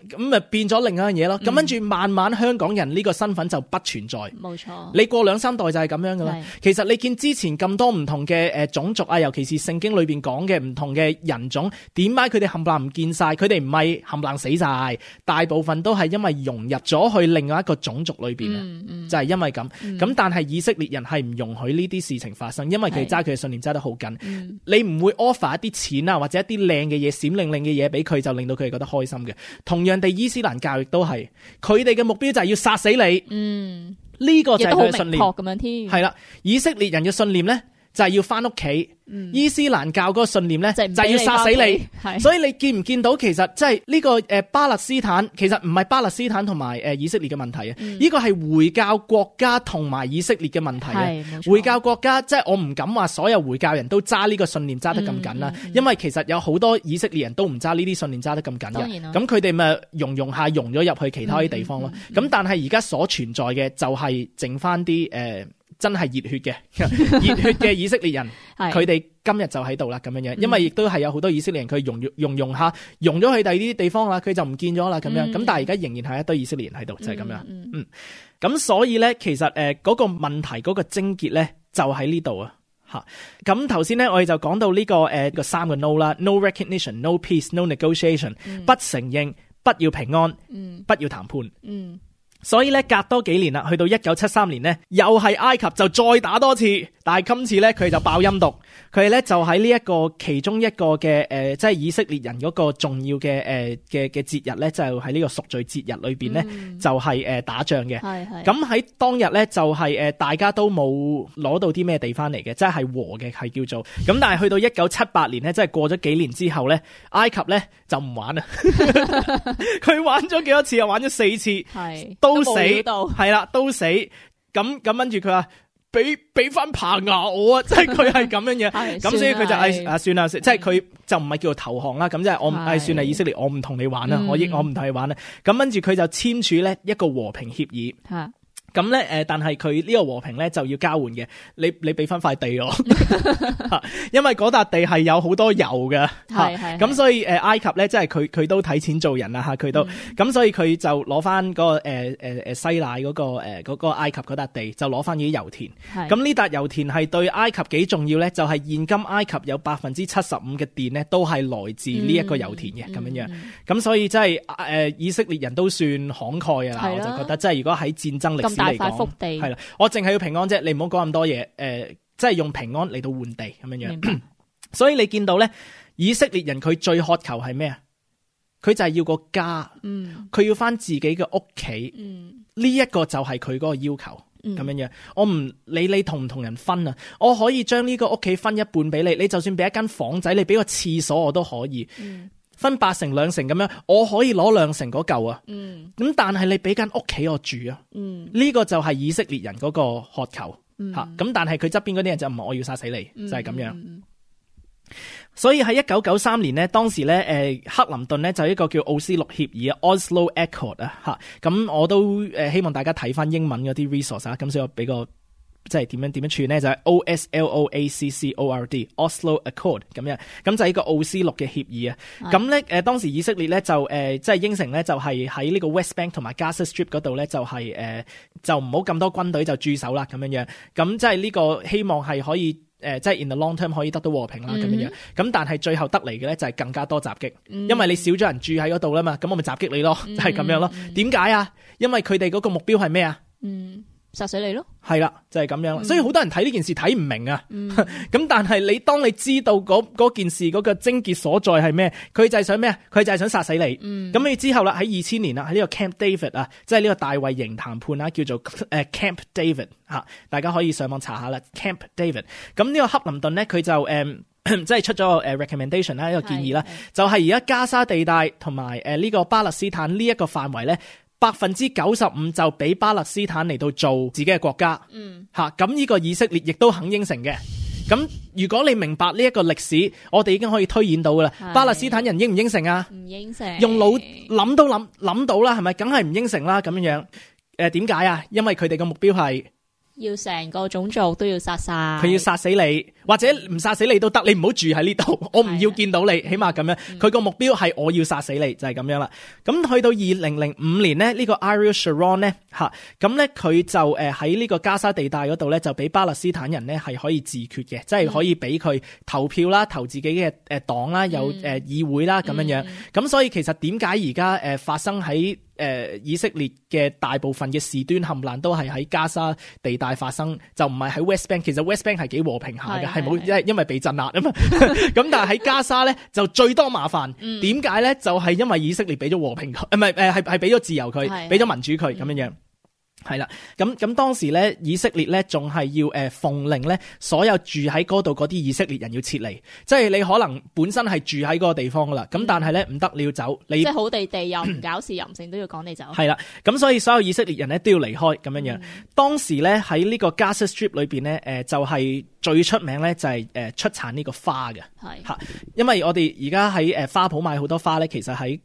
咁咪變咗另一樣嘢咯。咁跟住慢慢香港人呢個身份就不存在。冇錯，你過2-3代就係咁樣噶啦。其實你見之前咁多唔同嘅種族啊，尤其是聖經裏邊講嘅唔同嘅人種，點解佢哋冚唪唥唔見晒？佢哋唔係冚唪唥死晒，大部分都係因為融入咗去另外一個種族裏邊就係因為咁。咁但係以色列人係唔容許呢啲事情發生，因為佢揸佢嘅信念揸得好緊。你唔會 offer 一啲錢啊，或者一啲靚嘅嘢、閃靈靈嘅嘢俾佢，就令到佢哋覺得開心嘅。同樣地，伊斯蘭教亦都係，佢哋嘅目標就係要殺死你。呢個就係佢嘅信念。咁樣添。係啦，以色列人嘅信念咧就係要翻屋企。伊斯蘭教嗰個信念咧就係要殺死你。所以你見唔見到其實即係呢個巴勒斯坦其實唔係巴勒斯坦同埋以色列嘅問題啊，呢個係回教國家同埋以色列嘅問題啊。回教國家即係我唔敢話所有回教人都揸呢個信念揸得咁緊啦，因為其實有好多以色列人都唔揸呢啲信念揸得咁緊嘅。咁佢哋咪融咗入去其他啲地方咯。咁但係而家所存在嘅就係剩翻啲真係熱血嘅熱血嘅以色列人，佢哋今日就喺度啦咁樣樣，因為亦都係有好多以色列人佢用下融咗去第二啲地方啦，佢就唔見咗啦咁樣，咁但係而家仍然係一堆以色列人喺度，就係咁樣。咁所以咧，其實嗰個問題嗰個症結咧就喺呢度啊。咁頭先咧，我哋就講到呢個三個 no 啦 ，no recognition、no peace、no negotiation，不承認、不要平安、不要談判。所以咧，隔多幾年啦，去到1973年咧，又係埃及就再打多次，但係今次咧佢就爆陰毒，佢哋咧就喺呢一個其中一個嘅即係以色列人嗰個重要嘅嘅節日咧，就喺呢個贖罪節日裏邊咧，就係打仗嘅。咁喺當日咧就係大家都冇攞到啲咩地翻嚟嘅，即係和嘅係叫做。咁但係去到1978年咧，即係過咗幾年之後咧，埃及咧就唔玩啦，佢玩咗幾多次啊？玩咗4次，都死，係啦，都死。咁跟住佢話俾翻棚牙我啊，即係佢係咁樣嘢。咁所以佢就算啦，即係佢就唔係叫做投降啦。咁即係我算係以色列，我唔同你玩啦，我唔同你玩啦。咁跟住佢就簽署咧一個和平協議。咁咧但係佢呢個和平咧就要交換嘅，你俾翻塊地我，因為嗰笪地係有好多油嘅，咁所以埃及咧即係佢都睇錢做人啦嚇，佢都咁所以佢就攞翻嗰個西奈嗰個埃及嗰笪地，就攞翻啲油田。咁呢笪油田係對埃及幾重要咧？就係現今埃及有75%嘅電咧都係來自呢一個油田嘅咁樣樣。咁所以即係以色列人都算慷慨啊！我就覺得即係如果喺戰爭歷史嚟講，係啦，我淨係要平安啫，你唔好講咁多嘢。即係用平安嚟到換地咁樣樣。所以你見到咧，以色列人佢最渴求係咩啊？佢就係要個家，佢要翻自己嘅屋企。呢一個就係佢嗰個要求咁樣樣。我唔理你同唔同人分啊，我可以將呢個屋企分一半俾你，你就算俾一間房仔，你俾個廁所我都可以。分8成2成咁樣，我可以攞2成嗰嚿啊。咁但係你俾間屋企我住啊。呢個就係以色列人嗰個渴求吓。咁但係佢側邊嗰啲人就唔係我要殺死你，就係咁樣。所以喺1993年呢，當時咧克林頓呢就一個叫奧斯陸協議啊 ，Oslo Accord 啊吓。咁我都希望大家睇翻英文嗰啲 resource 啊。咁所以我俾個即係點樣串咧，就係 OSLOACCORD Oslo Accord 咁樣，咁就係一個奧斯陸嘅協議啊。咁咧當時以色列咧就即係應承咧，就係喺呢個 West Bank 同埋 Gaza Strip 嗰度咧，就係就唔好咁多軍隊就駐守啦咁樣樣。咁即係呢個希望係可以即係 in the long term 可以得到和平啦咁樣樣。咁但係最後得嚟嘅咧就係更加多襲擊，因為你少咗人住喺嗰度啦嘛，咁我咪襲擊你咯，就係咁樣咯。點解啊？因為佢哋嗰個目標係咩啊？殺死你咯，係啦，就係咁樣。所以好多人睇呢件事睇唔明啊。咁但係當你知道嗰件事嗰個症結所在係咩，佢就係想咩啊？佢就係想殺死你。咁你之後啦，喺2000年啦，喺呢個 Camp David 啊，即係呢個大衛營談判啦，叫做Camp David 吓，大家可以上網查下啦。Camp David。咁呢個克林頓咧，佢就即係出咗個recommendation 啦，一個建議啦，就係而家加沙地帶同埋呢個巴勒斯坦呢一個範圍咧。95%就俾巴勒斯坦嚟到做自己嘅國家，咁呢個以色列亦都肯應承嘅。咁如果你明白呢一個歷史，我哋已經可以推演到噶啦。巴勒斯坦人應唔應承啊？唔應承。用腦諗都諗到啦，係咪？梗係唔應承啦，咁樣樣。點解啊？因為佢哋嘅目標係要成個種族都要殺晒，佢要殺死你，或者唔殺死你都得，你唔好住喺呢度，我唔要見到你，起碼咁樣。佢個目標係我要殺死你，就係咁樣啦。咁去到2005年呢，呢個 Ariel Sharon 咧咁咧佢就喺呢個加沙地帶嗰度咧，就俾巴勒斯坦人咧係可以自決嘅，即係可以俾佢投票啦，投自己嘅黨啦，有議會啦咁樣樣。咁所以其實點解而家發生喺以色列嘅大部分嘅事端冚爛都係喺加沙地帶發生，就唔係喺 West Bank。其實 West Bank 係幾和平下嘅，係冇因為被鎮壓啊嘛。咁但係喺加沙咧就最多麻煩。點解咧？就係因為以色列俾咗和平佢，唔係係俾咗自由佢，俾咗民主佢咁樣樣。係啦，咁當時咧，以色列咧仲係要奉令咧，所有住喺嗰度嗰啲以色列人要撤離，即係你可能本身係住喺嗰個地方噶啦，咁但係咧唔得，你要走，你即係好地地又唔搞事又唔成都要趕你走。係啦，咁所以所有以色列人咧都要離開咁樣樣。當時咧喺呢個 Gaza Strip 裏邊咧，就係最出名咧就係出產呢個花嘅，係因為我哋而家喺花圃買好多花咧，其實喺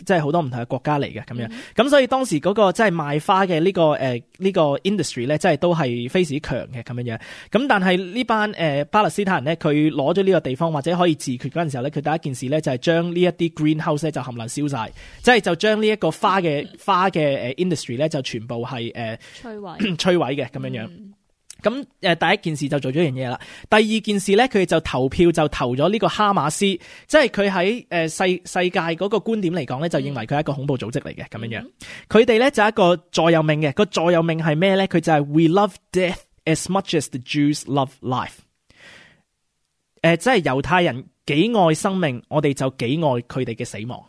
即係好多唔同嘅國家嚟嘅咁樣，咁所以當時嗰個即係賣花嘅呢個呢個 industry 咧，即係都係非常之強嘅咁樣樣。咁但係呢班巴勒斯坦人咧，佢攞咗呢個地方或者可以自決嗰陣時候咧，佢第一件事咧就係將呢一啲 greenhouse 咧就冚唪唥燒晒，即係就將呢一個花嘅 industry 咧就全部係摧毀嘅咁樣樣。咁第一件事就做咗樣嘢啦。第二件事咧，佢哋就投票就投咗呢個哈馬斯，即係佢喺世界嗰個觀點嚟講咧，就認為佢係一個恐怖組織嚟嘅咁樣樣。佢哋咧就係一個座右銘嘅，個座右銘係咩咧？佢就係 We love death as much as the Jews love life。即係猶太人幾愛生命，我哋就幾愛佢哋嘅死亡。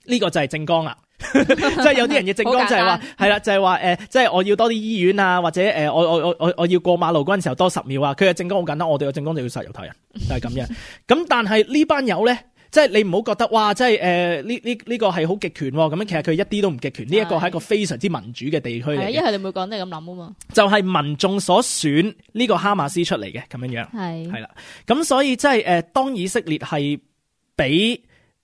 呢個就係政綱啦。即係有啲人嘅政綱就係話係啦，就係話即係我要多啲醫院啊，或者我要過馬路嗰陣時候多10秒啊。佢嘅政綱好簡單，我哋嘅政綱就要殺猶太人，就係咁樣。咁但係呢班友咧，即係你唔好覺得哇，即係呢個係好極權咁樣。其實佢一啲都唔極權，呢一個係一個非常之民主嘅地區嚟嘅。因為你每個人都係咁諗啊嘛。就係民眾所選呢個哈馬斯出嚟嘅咁樣樣。係啦，咁所以即係當以色列係俾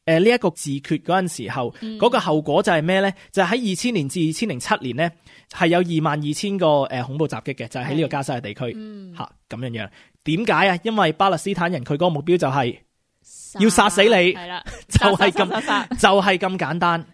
呢一個自決嗰陣時候，嗰個後果就係咩咧？就係喺2000年至2007年咧，係有22,000個恐怖襲擊嘅，就係喺呢個加沙嘅地區吓咁樣樣。點解啊？因為巴勒斯坦人佢嗰個目標就係要殺死你，係啦，就係咁簡單，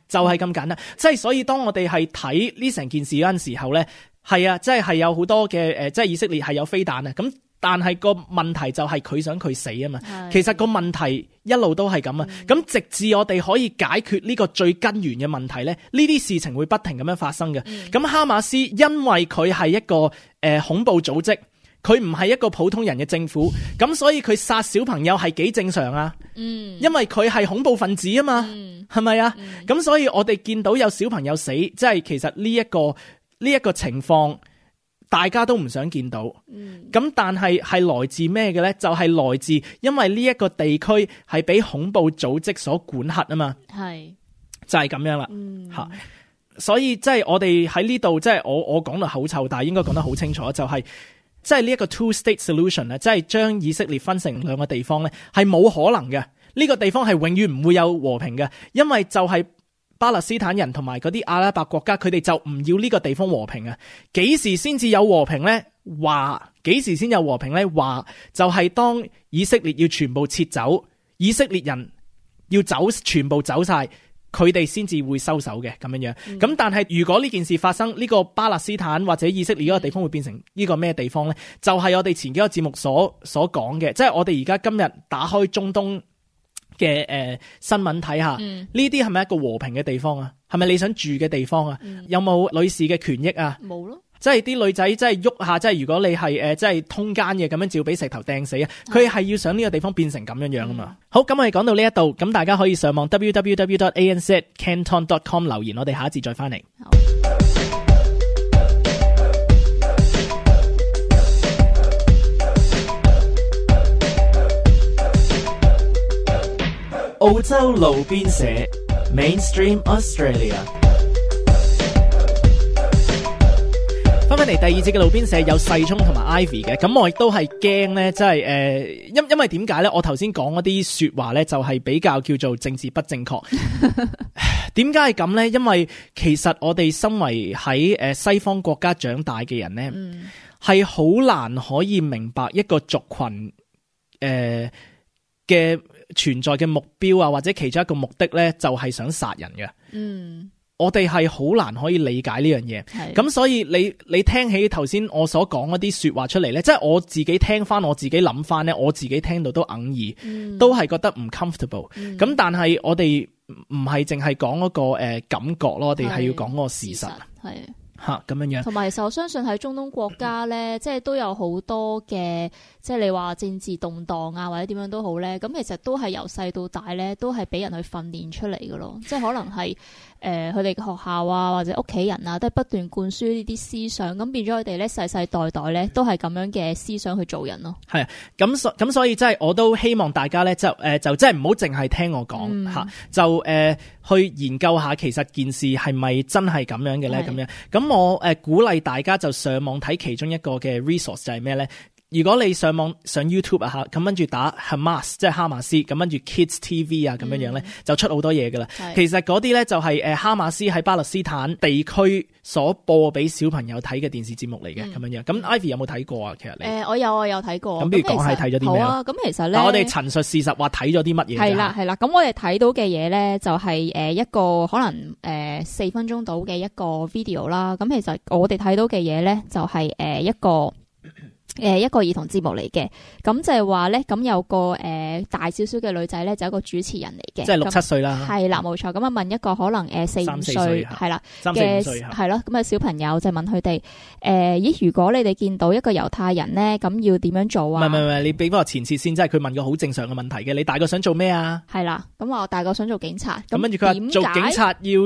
就係咁簡單。即係所以當我哋係睇呢成件事嗰陣時候咧，係啊，即係有好多嘅即係以色列係有飛彈啊咁。但係個問題就係佢想佢死啊嘛，其實個問題一路都係咁啊，咁直至我哋可以解決呢個最根源嘅問題咧，呢啲事情會不停咁樣發生嘅。咁哈馬斯因為佢係一個恐怖組織，佢唔係一個普通人嘅政府，咁所以佢殺小朋友係幾正常啊？因為佢係恐怖分子啊嘛，係咪啊？咁所以我哋見到有小朋友死，即係其實呢一個情況。大家都唔想見到，咁但係來自咩嘅咧？就係來自因為呢一個地區係俾恐怖組織所管轄啊嘛，係就係咁樣啦吓。所以即係我哋喺呢度，即係我講到口臭，但係應該講得好清楚，就係即係呢一個 two-state solution 咧，即係將以色列分成兩個地方咧，係冇可能嘅。呢個地方係永遠唔會有和平嘅，因為就係巴勒斯坦人同埋嗰啲阿拉伯國家，佢哋就唔要呢個地方和平啊！幾時先至有和平呢？幾時先有和平呢？就係當以色列要全部撤走，以色列人要走，全部走晒，佢哋先至會收手嘅咁樣樣。咁但係如果呢件事發生，呢個巴勒斯坦或者以色列嗰個地方會變成呢個咩地方呢？就係我哋前幾個節目所講嘅，即係我哋而家今日打開中東嘅新聞睇下，呢啲係咪一個和平嘅地方啊？係咪你想住嘅地方啊？有冇女士嘅權益啊？冇咯，即係啲女仔即係喐下，即係如果你係即係通姦嘅咁樣，照俾石頭掟死啊！佢係要想呢個地方變成咁樣樣啊嘛。好，咁我哋講到呢一度，咁大家可以上網 www.anzcanton.com 留言，我哋下一節再翻嚟。澳洲路邊社 Mainstream Australia， 翻返嚟第二節嘅路邊社有細聰同埋 Ivy 嘅，咁我亦都係驚咧，即係因為點解咧？我頭先講嗰啲說話咧，就係比較叫做政治不正確。點解係咁咧？因為其實我哋身為喺西方國家長大嘅人咧，係好難可以明白一個族群嘅存在嘅目標啊，或者其中一個目的咧，就係想殺人嘅。我哋係好難可以理解呢樣嘢。咁所以你聽起頭先我所講嗰啲說話出嚟咧，即係我自己聽翻，我自己諗翻咧，我自己聽到都哽耳，都係覺得唔 comfortable。咁但係我哋唔係淨係講嗰個感覺咯，我哋係要講嗰個事實。係吓咁樣樣，同埋其實我相信喺中東國家咧，即係都有好多嘅，即係你話政治動盪啊，或者點樣都好咧，咁其實都係由細到大咧，都係俾人去訓練出嚟嘅咯。即係可能係佢哋嘅學校啊，或者屋企人啊，都係不斷灌輸呢啲思想，咁變咗佢哋咧世世代代咧都係咁樣嘅思想去做人咯。係啊，咁所以即係我都希望大家咧就即係唔好淨係聽我講吓，就去研究下其實件事係咪真係咁樣嘅咧？咁樣咁我鼓勵大家就上網睇其中一個嘅 resource 就係咩咧？如果你上 YouTube 啊，咁跟住打 Hamas 即係哈馬斯，咁跟住 Kids TV 啊咁樣咧，就出好多嘢噶啦。其實嗰啲咧就係哈馬斯喺巴勒斯坦地區所播俾小朋友睇嘅電視節目嚟嘅咁樣。咁 Ivy 有冇睇過啊？其實你我有睇過。咁不如講係睇咗啲咩？好啊，咁其實咧，我哋陳述事實話睇咗啲乜嘢？係啦。咁我哋睇到嘅嘢咧就係一個可能4分鐘到嘅一個 video 啦。咁其實我哋睇到嘅嘢咧就係一個兒童節目嚟嘅，咁就係話咧，咁有個大少少嘅女仔咧，就一個主持人嚟嘅，即係6、7歲啦。係啦，冇錯。咁啊問一個可能4、5歲係啦3、4、5歲係咯，咁啊小朋友就問佢哋如果你哋見到一個猶太人咧，咁要點樣做啊？唔係，你俾翻個前設先，即係佢問個好正常嘅問題嘅。你大個想做咩啊？係啦，咁我大個想做警察。咁跟住佢話做警察要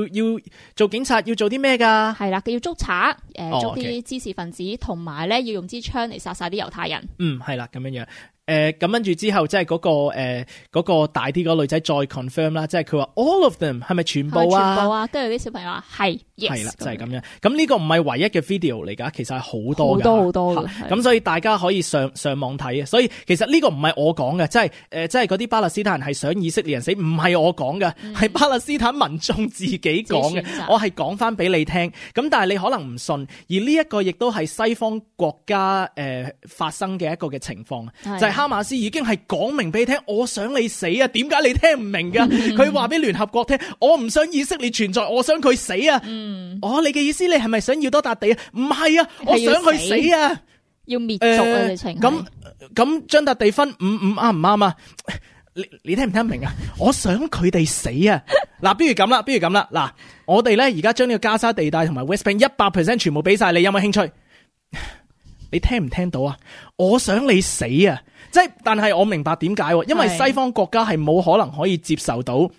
做警察要做啲咩㗎？係啦，佢要捉賊，捉啲滋事分子，同埋咧要用支槍嚟殺晒啲猶太人。係啦，咁樣。咁跟住之後，即係嗰個大啲嗰個女仔再 confirm 啦，即係佢話 all of them 係咪全部啊？全部啊，跟住啲小朋友話係，係啦，就係咁樣。咁呢個唔係唯一嘅 video 嚟㗎，其實係好多㗎，好多。咁所以大家可以上網睇。所以其實呢個唔係我講嘅，即係嗰啲巴勒斯坦人係想以色列人死，唔係我講嘅，係巴勒斯坦民眾自己講嘅。我係講翻俾你聽。咁但係你可能唔信，而呢一個亦都係西方國家發生嘅一個嘅情況，就係哈馬斯已經係講明俾你聽，我想你死啊！點解你聽唔明㗎？佢話俾聯合國聽，我唔想以色列存在，我想佢死啊！你嘅意思你係咪想要多笪地啊？唔係啊，我想佢死啊！要滅族啊！直情咁將笪地分5啱唔啱啊？你聽唔聽明啊？我想佢哋死啊！嗱，不如咁啦，嗱，我哋咧而家將呢個加沙地帶同埋 West Bank 100% 全部俾晒你，有冇興趣？你聽唔聽到啊？我想你死啊！但係我明白點解，因為西方國家係冇可能可以接受到，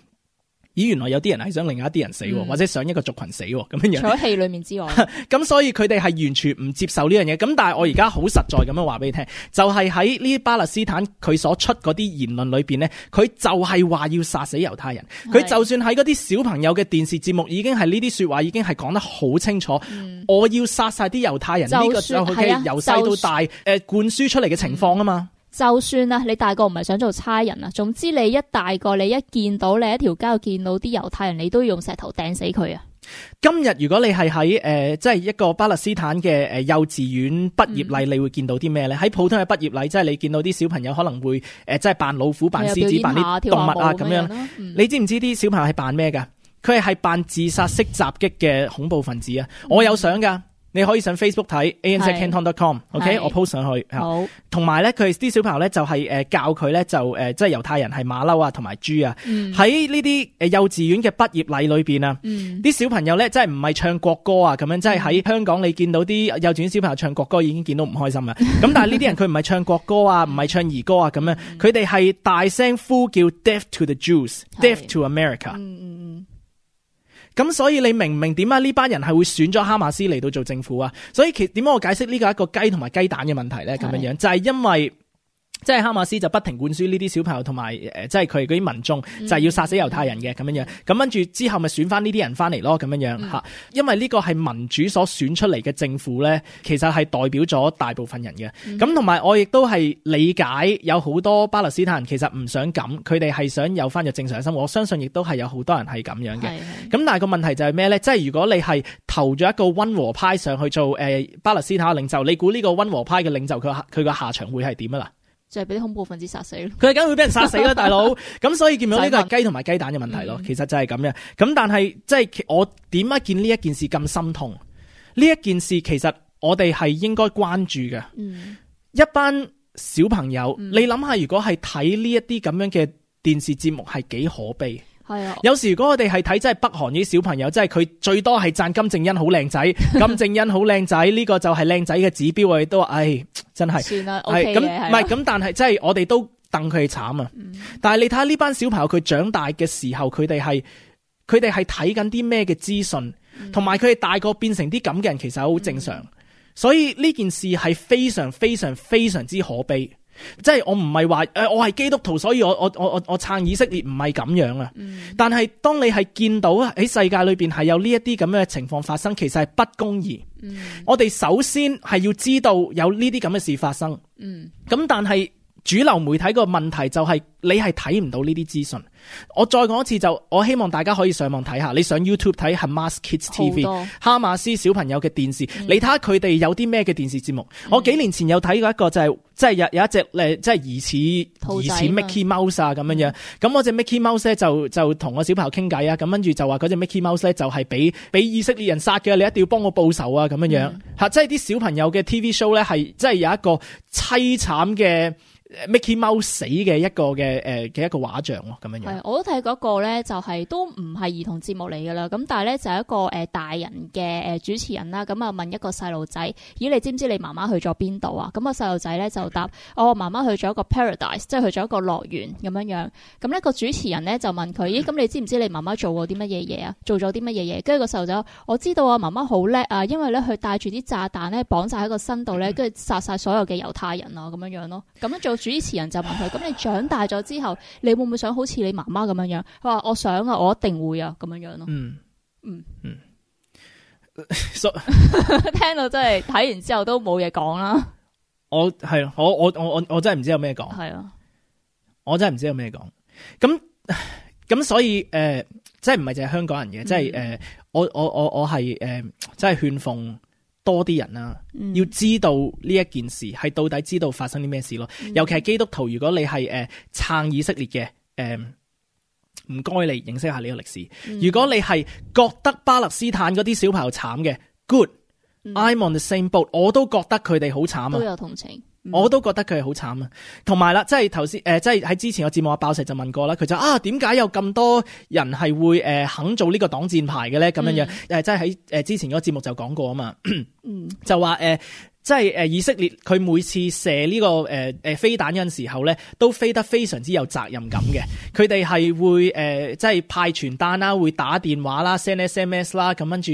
原來有啲人係想另外一啲人死，或者想一個族群死咁樣。除咗戲裏面之外，咁所以佢哋係完全唔接受呢樣嘢。咁但係我而家好實在咁樣話俾你聽，就係喺呢啲巴勒斯坦佢所出嗰啲言論裏邊呢，佢就係話要殺死猶太人。佢就算喺嗰啲小朋友嘅電視節目，已經係呢啲說話已經係講得好清楚。我要殺晒啲猶太人，呢個就係佢由細到大灌輸出嚟嘅情況啊嘛。就算啊，你大個唔係想做差人啊，總之你一大個，你一見到你一條街見到啲猶太人，你都要用石頭掟死佢啊！今日如果你係喺即係一個巴勒斯坦嘅幼稚園畢業禮，你會見到啲咩咧？喺普通嘅畢業禮，即係你見到啲小朋友可能會即係扮老虎、扮獅子、扮啲動物啊咁樣。你知唔知啲小朋友係扮咩噶？佢係扮自殺式襲擊嘅恐怖分子啊！我有相噶。你可以上 Facebook 睇 anzcanton.com，OK， 我 post 上去。好，同埋咧，佢啲小朋友咧就係教佢咧就即係猶太人係馬騮啊同埋豬啊。喺呢啲幼稚園嘅畢業禮裏邊啊，啲小朋友咧真係唔係唱國歌啊咁樣，即係喺香港你見到啲幼稚園小朋友唱國歌已經見到唔開心啦。咁但係呢啲人佢唔係唱國歌啊，唔係唱兒歌啊咁樣，佢哋係大聲呼叫 Death to the Jews，Death to America。咁所以你明唔明點解呢班人係會選咗哈馬斯嚟到做政府啊？所以點解我解釋呢個係一個雞同埋雞蛋嘅問題咧？咁樣就係因為即係哈馬斯就不停灌輸呢啲小朋友同埋即係佢嗰啲民眾就係要殺死猶太人嘅咁樣。咁跟住之後咪選翻呢啲人翻嚟咯咁樣吓。因為呢個係民主所選出嚟嘅政府咧，其實係代表咗大部分人嘅。咁同埋我亦都係理解有好多巴勒斯坦人其實唔想咁，佢哋係想有翻個正常嘅生活。我相信亦都係有好多人係咁樣嘅。咁但係個問題就係咩咧？即係如果你係投咗一個溫和派上去做巴勒斯坦嘅領袖，你估呢個溫和派嘅領袖佢個下場會係點啊啦？就係俾啲恐怖分子殺死咯，佢係梗會俾人殺死啦，大佬。咁所以見到呢個係雞同埋雞蛋嘅問題咯，其實就係咁樣。咁但係即係我點解見呢一件事咁心痛？呢一件事其實我哋係應該關注嘅。一班小朋友，你諗下，如果係睇呢一啲咁樣嘅電視節目，係幾可悲。係啊，有時如果我哋係睇真係北韓啲小朋友，即係佢最多係讚金正恩好靚仔，金正恩好靚仔，呢個就係靚仔嘅指標。我哋都話，真係算啦，OK 嘅。咁唔係咁，但係即係我哋都戥佢哋慘啊。但係你睇下呢班小朋友，佢長大嘅時候，佢哋係睇緊啲咩嘅資訊，同埋佢哋大個變成啲咁嘅人，其實好正常。所以呢件事係非常非常非常之可悲。即係我唔係話我係基督徒，所以我撐以色列，唔係咁樣啊。但係當你係見到喺世界裏邊係有呢一啲咁樣嘅情況發生，其實係不公義。我哋首先係要知道有呢啲咁嘅事發生，咁但係主流媒體個問題就係你係睇唔到呢啲資訊。我再講一次，就我希望大家可以上網睇下，你上 YouTube 睇 Hamas Kids TV 哈馬斯小朋友嘅電視，你睇下佢哋有啲咩嘅電視節目。我幾年前有睇過一個就係即係有一隻即係疑似 Mickey Mouse 啊咁樣樣。咁我隻 Mickey Mouse 咧就同我小朋友傾偈啊，咁跟住就話嗰隻 Mickey Mouse 咧就係俾以色列人殺嘅，你一定要幫我報仇啊咁樣樣嚇。即係啲小朋友嘅 TV show 咧係即係有一個凄慘嘅Mickey Mouse 死嘅一個嘅一個畫像咯，咁樣樣。係，我都睇嗰個咧，就係都唔係兒童節目嚟噶啦。咁但係咧就係一個大人嘅主持人啦。咁啊問一個細路仔，咦你知唔知你媽媽去咗邊度啊？咁個細路仔咧就答：我媽媽去咗一個 paradise， 即係去咗一個樂園咁樣樣。咁呢個主持人咧就問佢：咦咁你知唔知你媽媽做過啲乜嘢嘢啊？做咗啲乜嘢嘢？跟住個細路仔：我知道啊，媽媽好叻啊，因為咧佢帶住啲炸彈咧綁晒喺個身度咧，跟住殺晒所有嘅猶太人啊咁樣樣咯。咁樣做主持人就問佢：咁你長大咗之後，你會唔會想好似你媽媽咁樣樣？佢話：我想啊，我一定會啊，咁樣樣咯。聽到真係睇完之後都冇嘢講啦。我真係唔知有咩講。係啊，我真係唔知有咩講。咁所以即係唔係淨係香港人嘅，即係我係即係勸奉多啲人啦，要知道呢一件事係到底知道發生啲咩事咯。尤其係基督徒，如果你係撐以色列嘅，唔該你認識下呢個歷史。如果你係覺得巴勒斯坦嗰啲小朋友慘嘅，good，I'm on the same boat，我都覺得佢哋好慘啊，都有同情。我都覺得佢係好慘啊，同埋啦，即係頭先即係喺之前個節目阿爆石就問過啦，佢就點解有咁多人係會肯做呢個擋箭牌嘅咧？咁樣樣即係喺之前嗰個節目就講過啊嘛，就話即係以色列佢每次射呢個飛彈嗰陣時候咧，都飛得非常之有責任感嘅。佢哋係會即係派傳單啦，會打電話啦 ，send SMS 啦，咁跟住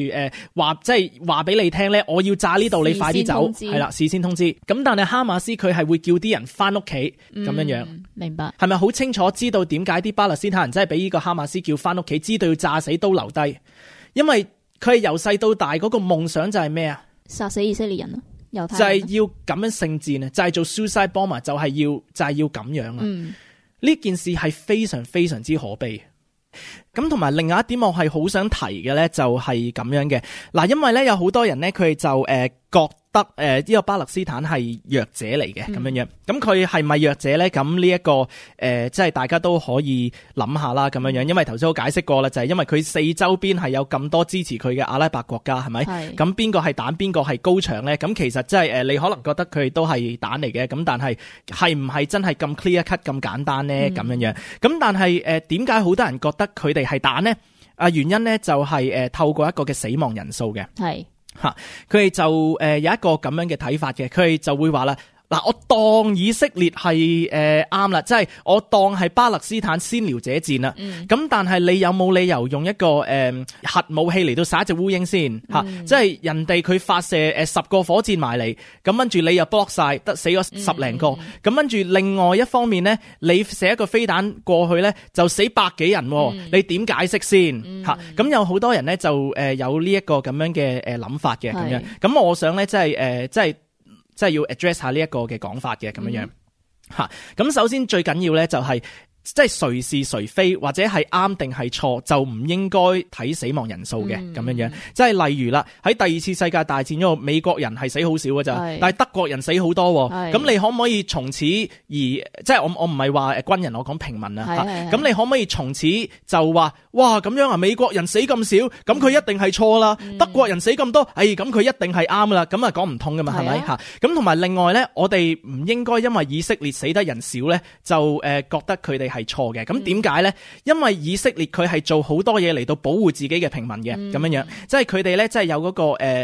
話俾你聽咧，我要炸呢度，你快啲走，係啦，事先通知。咁但係哈馬斯佢係會叫啲人翻屋企咁樣樣，明白？係咪好清楚知道點解啲巴勒斯坦人真係俾呢個哈馬斯叫翻屋企，知道要炸死都留低？因為佢係由細到大嗰個夢想就係咩啊？殺死以色列人啊！就係要咁樣聖戰啊！就係做 suicide bomber，就係要咁樣啊！呢件事係非常非常之可悲。咁同埋另外一點，我係好想提嘅咧，就係咁樣嘅嗱，因為咧有好多人咧，佢就覺得呢個巴勒斯坦係弱者嚟嘅咁樣樣，咁佢係咪弱者咧？咁呢一個即係大家都可以諗下啦，咁樣樣，因為頭先我解釋過啦，就係因為佢四周邊係有咁多支持佢嘅阿拉伯國家，係咪？咁邊個係蛋，邊個係高牆咧？咁其實即係你可能覺得佢都係蛋嚟嘅，咁但係係唔係真係咁 clear cut 咁簡單咧？咁樣樣，咁但係點解好多人覺得佢哋係蛋咧？原因咧就係透過一個嘅死亡人數嘅。係。佢哋就有一個咁樣嘅睇法嘅，佢哋就會話啦，嗱，我當以色列係啱啦，即係我當係巴勒斯坦先撩者戰啦。咁但係你有冇理由用一個核武器嚟到殺一隻烏蠅先吓？即係人哋佢發射10個火箭埋嚟，咁跟住你又 block 晒，得死咗10零個。咁跟住另外一方面咧，你射一個飛彈過去咧，就死100幾人。你點解釋先吓？咁有好多人咧就有呢一個咁樣嘅諗法嘅咁樣。咁我想咧即係要 address 下呢一個嘅講法嘅咁樣樣吓，咁首先最緊要咧就係即係誰是誰非或者係啱定係錯，就唔應該睇死亡人數嘅咁樣樣。即係例如啦，喺第二次世界大戰嗰度，美國人係死好少㗎咋，但係德國人死好多。咁你可唔可以從此而即係我唔係話軍人，我講平民啊。咁你可唔可以從此就話哇咁樣啊？美國人死咁少，咁佢一定係錯啦。德國人死咁多，咁佢一定係啱啦。咁啊講唔通噶嘛，係咪吓？咁同埋另外咧，我哋唔應該因為以色列死得人少咧，就覺得佢哋係錯嘅。咁點解咧？因為以色列佢係做好多嘢嚟到保護自己嘅平民嘅，咁樣樣，即係佢哋咧，即係有嗰個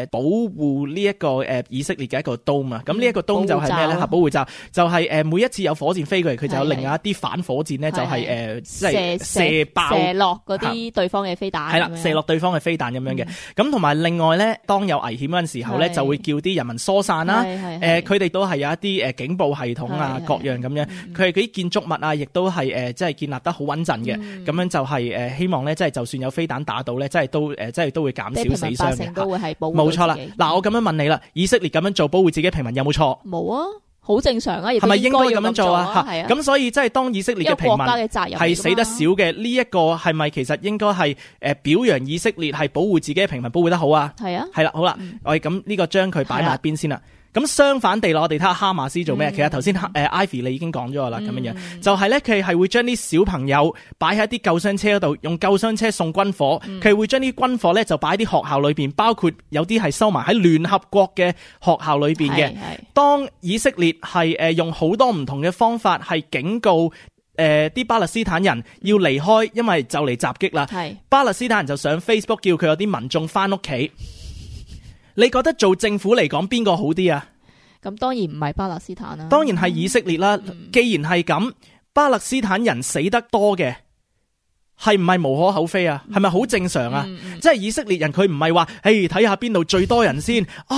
保護呢一個以色列嘅一個 dome 啊。咁呢一個 dome 就係咩咧？吓，保護罩就係每一次有火箭飛過嚟，佢就有另外一啲反火箭咧，就係即係射爆射落嗰啲對方嘅飛彈。係啦，射落對方嘅飛彈咁樣嘅。咁同埋另外咧，當有危險嗰陣時候咧，就會叫啲人民疏散啦。佢哋都係有一啲警報系統啊，各樣咁樣。佢哋嗰啲建築物啊，亦都係即係建立得好穩陣嘅。咁樣就係希望咧，即係就算有飛彈打到咧，即係都會減少死傷嘅。都會係保護。冇錯啦。嗱，我咁樣問你啦，以色列咁樣做保護自己平民有冇錯？冇啊。好正常啊，係咪應該咁樣做啊？係啊，咁所以即係當以色列嘅平民係死得少嘅，呢一個係咪其實應該係表揚以色列係保護自己嘅平民保護得好啊？係啊，係啦，好啦，我哋咁呢個將佢擺埋一邊先啦。咁相反地我哋睇下哈馬斯做咩？其實頭先Ivy 你已經講咗啦，咁樣就係咧，佢係會將啲小朋友擺喺啲救傷車嗰度，用救傷車送軍火。佢會將啲軍火咧就擺喺啲學校裏邊，包括有啲係收埋喺聯合國嘅學校裏邊嘅。當以色列係用好多唔同嘅方法係警告啲巴勒斯坦人要離開，因為就嚟襲擊啦。巴勒斯坦人就上 Facebook 叫佢有啲民眾翻屋企。你覺得做政府嚟講邊個好啲啊？咁當然唔係巴勒斯坦啦，當然係以色列啦。既然係咁，巴勒斯坦人死得多嘅，係唔係無可厚非啊？係咪好正常啊？即係以色列人佢唔係話，睇下邊度最多人先啊？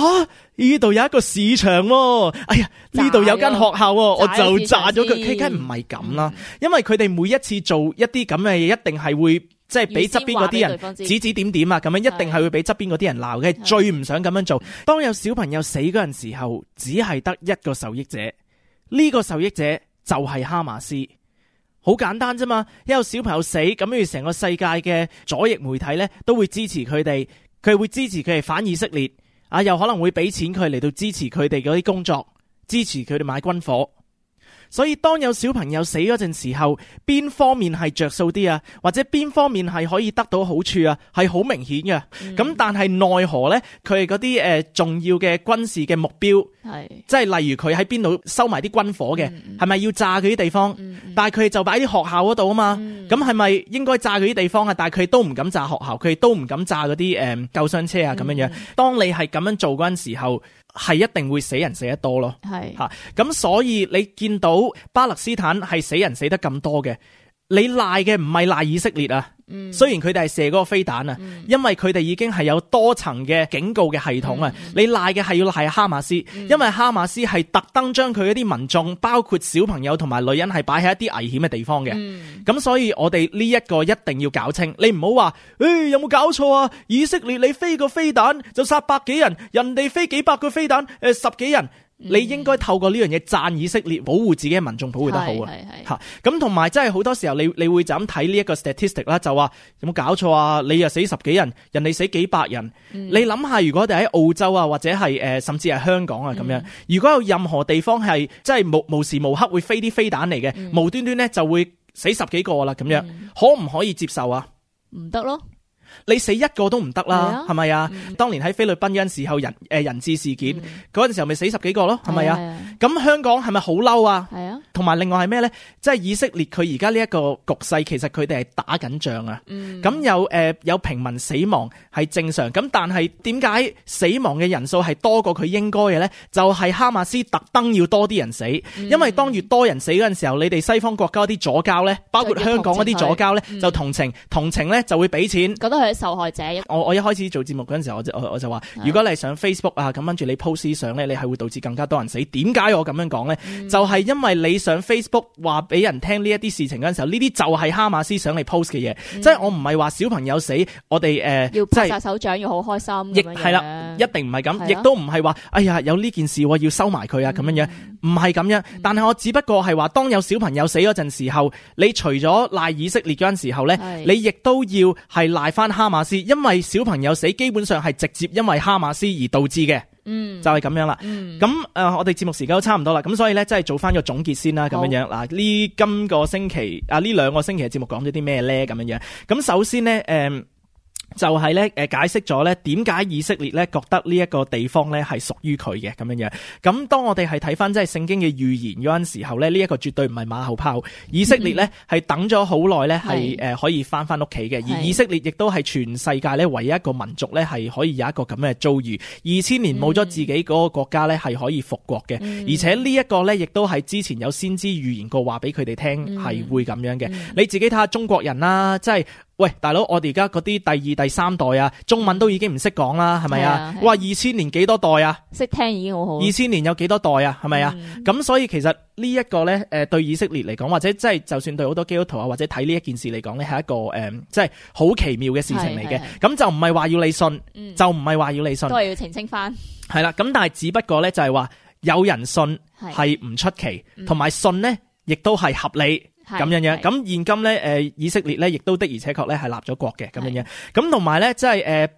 呢度有一個市場喎，哎呀呢度有間學校喎，我就炸咗佢。佢梗係唔係咁啦，因為佢哋每一次做一啲咁嘅嘢，一定係會。即係俾側邊嗰啲人指指點點啊，咁樣一定係會俾側邊嗰啲人鬧嘅，最唔想咁樣做。當有小朋友死嗰陣時候，只係得一個受益者，呢個受益者就係哈馬斯。好簡單啫嘛，一有小朋友死，咁跟住成個世界嘅左翼媒體咧都會支持佢哋，佢會支持佢哋反以色列啊，又可能會俾錢佢嚟到支持佢哋嗰啲工作，支持佢哋買軍火。所以當有小朋友死嗰陣時候，邊方面係着數啲啊？或者邊方面係可以得到好處啊？係好明顯嘅。咁但係奈何呢？佢係嗰啲重要嘅軍事嘅目標，即係例如佢喺邊度收埋啲軍火嘅，係咪要炸佢啲地方？但係佢哋就擺啲學校嗰度啊嘛。咁係咪應該炸佢啲地方啊？但係佢哋都唔敢炸學校，佢哋都唔敢炸嗰啲救傷車啊咁樣樣。當你係咁樣做嗰陣時候，係一定會死人死得多咯，咁所以你見到巴勒斯坦係死人死得咁多嘅，你賴嘅唔係賴以色列啊，雖然佢哋係射嗰個飛彈啊，因為佢哋已經係有多層嘅警告嘅系統啊，你賴嘅係要賴哈馬斯，因為哈馬斯係特登將佢一啲民眾，包括小朋友同埋女人係擺喺一啲危險嘅地方嘅，咁所以我哋呢一個一定要搞清，你唔好話，有冇搞錯啊？以色列你飛個飛彈就殺百幾人，人哋飛幾百個飛彈，十幾人。你應該透過呢樣嘢讚以色列，保護自己嘅民眾，保護得好啊！咁同埋真係好多時候你會就咁睇呢一個 statistic 啦，就話有冇搞錯啊？你又死十幾人，人哋死幾百人，你諗下，如果我哋喺澳洲啊，或者係甚至係香港啊咁樣，如果有任何地方係即係無時無刻會飛啲飛彈嚟嘅，無端端咧就會死十幾個啦咁樣，可唔可以接受啊？唔得咯。你死一個都唔得啦，係咪啊？當年喺菲律賓嗰陣時候人質事件嗰陣時候咪死十幾個咯，係咪啊？咁香港係咪好嬲啊？係啊。同埋另外係咩咧？即係以色列佢而家呢一個局勢，其實佢哋係打緊仗啊。咁有平民死亡係正常，咁但係點解死亡嘅人數係多過佢應該嘅咧？就係哈馬斯特登要多啲人死，因為當越多人死嗰陣時候，你哋西方國家啲左膠咧，包括香港嗰啲左膠咧，就同情咧就會俾錢。佢係受害者。我一開始做節目嗰陣時候，我就話，如果你係上 Facebook 啊，咁跟住你 post 相咧，你係會導致更加多人死。點解我咁樣講咧？就係因為你上 Facebook 話俾人聽呢一啲事情嗰陣時候，呢啲就係哈馬斯想你 post 嘅嘢。即係我唔係話小朋友死，我哋要拍晒手掌，要好開心。亦係啦，一定唔係咁，亦都唔係話，哎呀有呢件事我要收埋佢啊咁樣樣，唔係咁樣。但係我只不過係話，當有小朋友死嗰陣時候，你除咗賴以色列嗰陣時候咧，你亦都要係賴翻哈馬斯，因為小朋友死基本上係直接因為哈馬斯而導致嘅，就係咁樣啦。咁我哋節目時間都差唔多啦，咁所以咧，即係做翻個總結先啦，咁樣樣嗱，今個星期呢兩個星期嘅節目講咗啲咩咧？咁樣樣，咁首先咧，就係咧解釋咗咧點解以色列咧覺得呢一個地方咧係屬於佢嘅咁樣樣。咁當我哋係睇翻即係聖經嘅預言嗰陣時候咧，呢一個絕對唔係馬後炮。以色列咧係等咗好耐咧係可以翻屋企嘅，而以色列亦都係全世界咧唯一一個民族咧係可以有一個咁嘅遭遇。2000年冇咗自己嗰個國家咧係可以復國嘅，而且呢一個咧亦都係之前有先知預言過話俾佢哋聽係會咁樣嘅。你自己睇下中國人啦，即係。喂，大佬，我哋而家嗰啲第二、第三代啊，中文都已經唔識講啦，係咪啊？哇，2000年幾多代啊？識聽已經好好。2000年有幾多代啊？係咪啊？咁所以其實呢一個咧，對以色列嚟講，或者即係就算對好多基督徒啊，或者睇呢一件事嚟講咧，係一個即係好奇妙嘅事情嚟嘅。咁就唔係話要你信，就唔係話要你信，都係要澄清翻。係啦，咁但係只不過咧就係話。有人信係唔出奇，同埋信咧亦都係合理。咁樣樣，咁現今咧，以色列咧，亦都的而且確咧係立咗國嘅咁樣樣，咁同埋咧，即係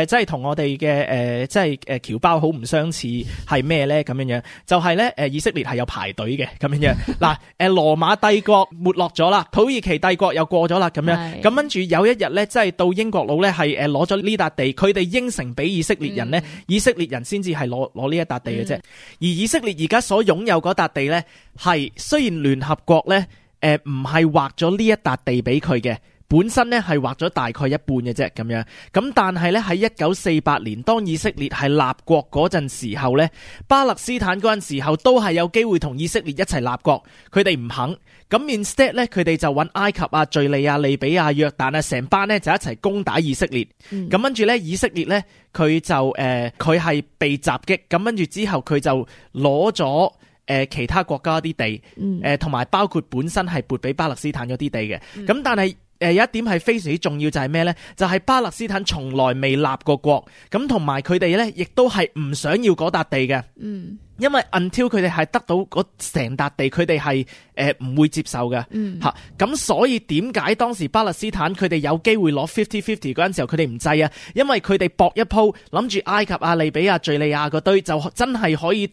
即係同我哋嘅即係僑胞好唔相似係咩咧？咁樣樣就係咧，以色列係有排隊嘅咁樣樣。嗱，羅馬帝國沒落咗啦，土耳其帝國又過咗啦，咁樣咁跟住有一日咧，即係到英國佬咧係攞咗呢笪地，佢哋應承俾以色列人咧，以色列人先至係攞呢一笪地嘅啫。而以色列而家所擁有嗰笪地咧，係雖然聯合國咧。唔係劃咗呢一笪地俾佢嘅，本身咧係劃咗大概一半嘅啫咁樣。咁但係咧喺1948年，當以色列係立國嗰陣時候咧，巴勒斯坦嗰陣時候都係有機會同以色列一齊立國，佢哋唔肯。咁 instead 咧，佢哋就揾埃及啊、敘利亞、利比亞、約旦啊，成班咧就一齊攻打以色列。咁跟住咧，以色列咧佢就佢係被襲擊，咁跟住之後佢就攞咗。其他國家啲地，同埋包括本身係撥俾巴勒斯坦嗰啲地嘅，咁但係有一點係非常之重要就係咩呢？就係巴勒斯坦從來未立過國，咁同埋佢哋呢亦都係唔想要嗰笪地嘅，因為 until 佢哋係得到嗰成笪地，佢哋係唔會接受嘅嚇。咁所以點解當時巴勒斯坦佢哋有機會攞 50-50嗰陣時候，佢哋唔制啊？因為佢哋搏一鋪，諗住埃及啊、利比亞、敘利亞嗰堆就真係可以。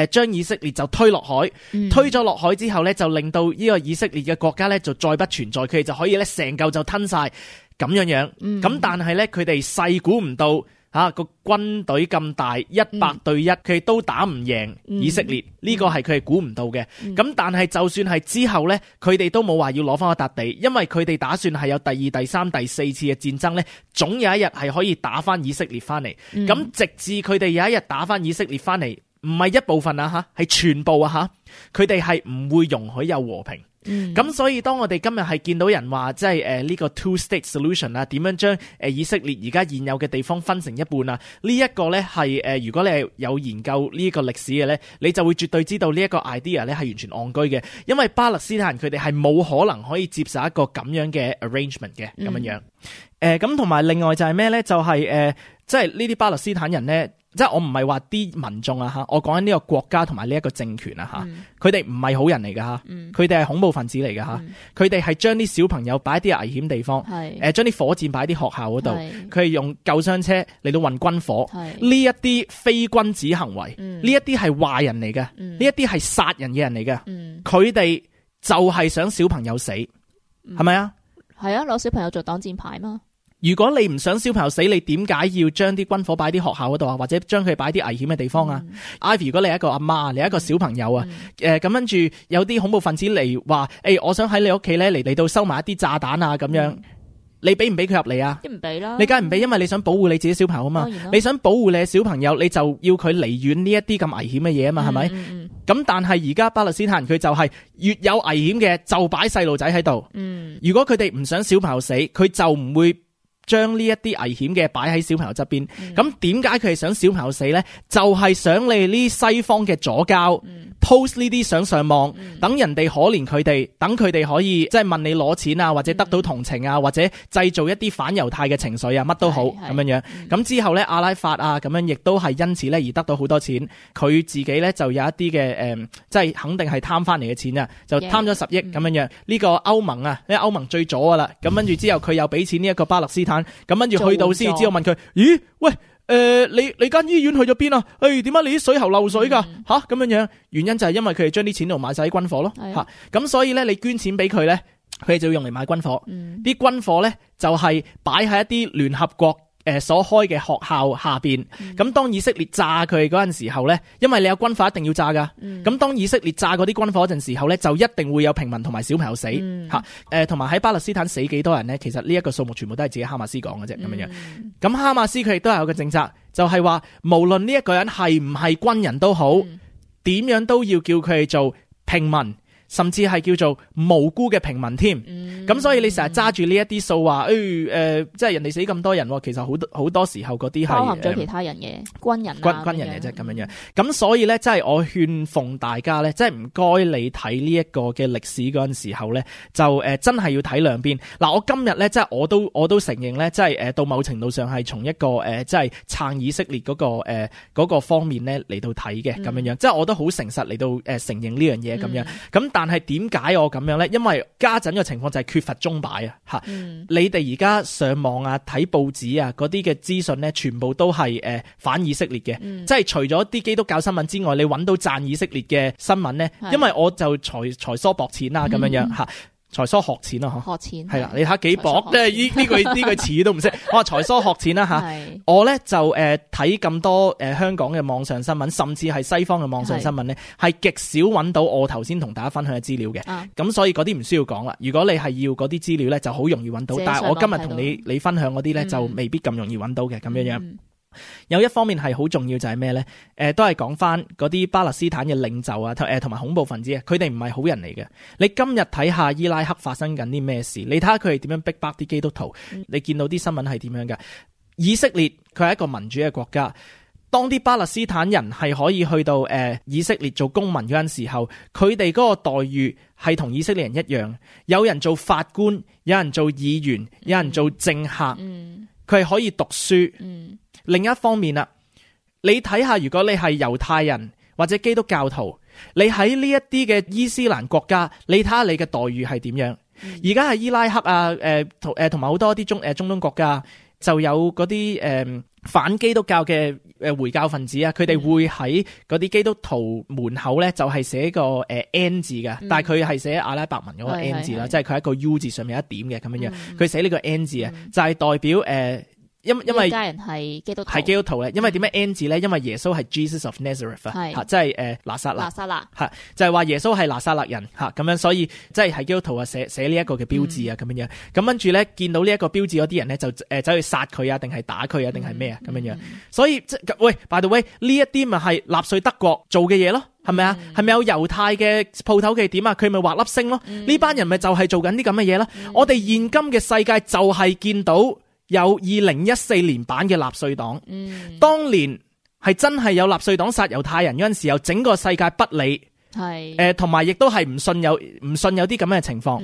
將以色列就推落海，推咗落海之後呢，就令到呢個以色列嘅國家呢就再不存在，佢哋就可以呢成嚿就吞晒咁樣樣。咁但係呢，佢哋細估唔到個軍隊咁大，100對1，佢哋都打唔贏以色列。呢個係佢哋估唔到嘅。咁但係就算係之後呢，佢哋都冇話要攞翻嗰笪地，因為佢哋打算係有第2、第3、第4次嘅戰爭呢，總有一日係可以打翻以色列翻嚟。咁直至佢哋有一日打翻以色列翻嚟。唔係一部分啊吓，係全部啊吓，佢哋係唔會容許有和平。咁所以當我哋今日係見到人話即係呢個 two-state solution 啊，點樣將以色列而家現有嘅地方分成一半啊？呢一個咧係如果你係有研究呢個歷史嘅咧，你就會絕對知道呢一個 idea 咧係完全戇居嘅，因為巴勒斯坦人佢哋係冇可能可以接受一個咁樣嘅 arrangement 嘅咁樣樣。咁同埋另外就係咩咧？就係即係呢啲巴勒斯坦人咧。即係我唔係話啲民眾啊吓，我講緊呢個國家同埋呢一個政權啊吓，佢哋唔係好人嚟噶吓，佢哋係恐怖分子嚟噶吓，佢哋係將啲小朋友擺啲危險地方，將啲火箭擺啲學校嗰度，佢係用救傷車嚟到運軍火，呢一啲非君子行為，呢一啲係壞人嚟嘅，呢一啲係殺人嘅人嚟嘅，佢哋就係想小朋友死，係咪啊？係啊，攞小朋友做擋箭牌嘛。如果你唔想小朋友死，你點解要將啲軍火擺啲學校嗰度啊？或者將佢擺啲危險嘅地方啊？Ivy， 如果你係一個阿媽，你係一個小朋友啊，咁跟住有啲恐怖分子嚟話，我想喺你屋企咧嚟到收埋一啲炸彈啊咁樣，你俾唔俾佢入嚟啊？唔俾啦，你梗係唔俾，因為你想保護你自己小朋友啊嘛。你想保護你嘅小朋友，你就要佢離遠呢一啲咁危險嘅嘢啊嘛，係咪？咁但係而家巴勒斯坦人佢就係越有危險嘅就擺細路仔喺度。如果佢哋唔想小朋友死，佢就唔會將呢一啲危險嘅擺喺小朋友側邊，咁點解佢係想小朋友死呢？就係想你呢西方嘅左膠post 呢啲相上網，等人哋可憐佢哋，等佢哋可以即係問你攞錢啊，或者得到同情啊，或者製造一啲反猶太嘅情緒啊，乜都好咁樣樣。咁之後呢，阿拉法啊咁樣亦都係因此呢而得到好多錢，佢自己呢就有一啲嘅即係肯定係貪翻嚟嘅錢啊，就貪咗10億咁樣樣。呢個歐盟啊，呢歐盟最左噶啦，咁跟住之後佢又俾錢呢一個巴勒斯坦。咁跟住去到先知道問佢，咦？喂，你間醫院去咗邊啊？點解你啲水喉漏水噶？吓咁樣樣，原因就係因為佢哋將啲錢度買晒啲軍火咯。吓咁所以咧，你捐錢俾佢咧，佢哋就要用嚟買軍火。啲軍火咧就係擺喺一啲聯合國所開嘅學校下邊。咁當以色列炸佢嗰陣時候咧，因為你有軍火一定要炸噶。咁當以色列炸嗰啲軍火嗰陣時候咧，就一定會有平民同埋小朋友死吓。同埋喺巴勒斯坦死幾多人咧？其實呢一個數目全部都係自己哈馬斯講嘅啫咁樣樣。咁哈馬斯佢亦都係有個政策，就係話無論呢一個人係唔係軍人都好，點樣都要叫佢哋做平民。甚至係叫做無辜嘅平民添。咁所以你成日揸住呢一啲數話，即係人哋死咁多人，其實好多時候嗰啲係包含咗其他人嘅軍人軍人嘅啫咁樣樣。咁所以咧，即係我勸奉大家咧，即係唔該你睇呢一個嘅歷史嗰陣時候咧，就真係要睇兩邊。嗱，我今日咧，即係我都承認咧，即係到某程度上係從一個即係撐以色列嗰個方面咧嚟到睇嘅咁樣樣。即係我都好誠實嚟到承認呢樣嘢咁樣。咁但係點解我咁樣咧？因為家陣嘅情況就係缺乏鐘擺啊嚇。你哋而家上網啊睇報紙啊嗰啲嘅資訊咧，全部都係反以色列嘅。即係除咗啲基督教新聞之外，你揾到讚以色列嘅新聞咧，因為我就才疏博淺啦咁樣樣嚇。才疏學淺啊，學淺係啦，你睇下幾薄，即係呢句詞都唔識。我話才疏學淺啦吓，我咧就睇咁多香港嘅網上新聞，甚至係西方嘅網上新聞咧，係極少揾到我頭先同大家分享嘅資料嘅。咁所以嗰啲唔需要講啦。如果你係要嗰啲資料咧，就好容易揾到。但係我今日同你分享嗰啲咧，就未必咁容易揾到嘅咁樣樣。有一方面係好重要就係咩咧？都係講翻嗰啲巴勒斯坦嘅領袖啊，同埋恐怖分子啊，佢哋唔係好人嚟嘅。你今日睇下伊拉克發生緊啲咩事，你睇下佢哋點樣逼迫啲基督徒，你見到啲新聞係點樣嘅？以色列佢係一個民主嘅國家，當啲巴勒斯坦人係可以去到以色列做公民嗰陣時候，佢哋嗰個待遇係同以色列人一樣，有人做法官，有人做議員，有人做政客，佢係可以讀書。另一方面啦，你睇下，如果你係猶太人或者基督教徒，你喺呢一啲嘅伊斯蘭國家，你睇下你嘅待遇係點樣？而家係伊拉克啊，同埋好多啲中東國家，就有嗰啲反基督教嘅回教分子啊，佢哋會喺嗰啲基督徒門口咧，就係寫個N 字嘅，但係佢係寫阿拉伯文嗰個 N 字啦，即係佢係一個 U 字上面一點嘅咁樣樣，佢寫呢個 N 字啊，就係代表因為家人係基督徒咧，因為點解 N 字咧？因為耶穌係 Jesus of Nazareth 啊，即係拿撒勒，係就係話耶穌係拿撒勒人吓，咁樣所以即係基督徒啊寫呢一個嘅標誌啊咁樣樣，咁跟住咧見到呢一個標誌嗰啲人咧就走去殺佢啊，定係打佢啊，定係咩啊咁樣樣，所以即係喂 by the way 呢一啲咪係納粹德國做嘅嘢咯，係咪啊？係咪有猶太嘅鋪頭嘅點啊？佢咪畫粒星咯？呢班人咪就係做緊啲咁嘅嘢咯。我哋現今嘅世界就係見到。有2014年版嘅納粹黨，當年係真係有納粹黨殺猶太人嗰陣時候，整個世界不理，係同埋亦都係唔信有啲咁嘅情況。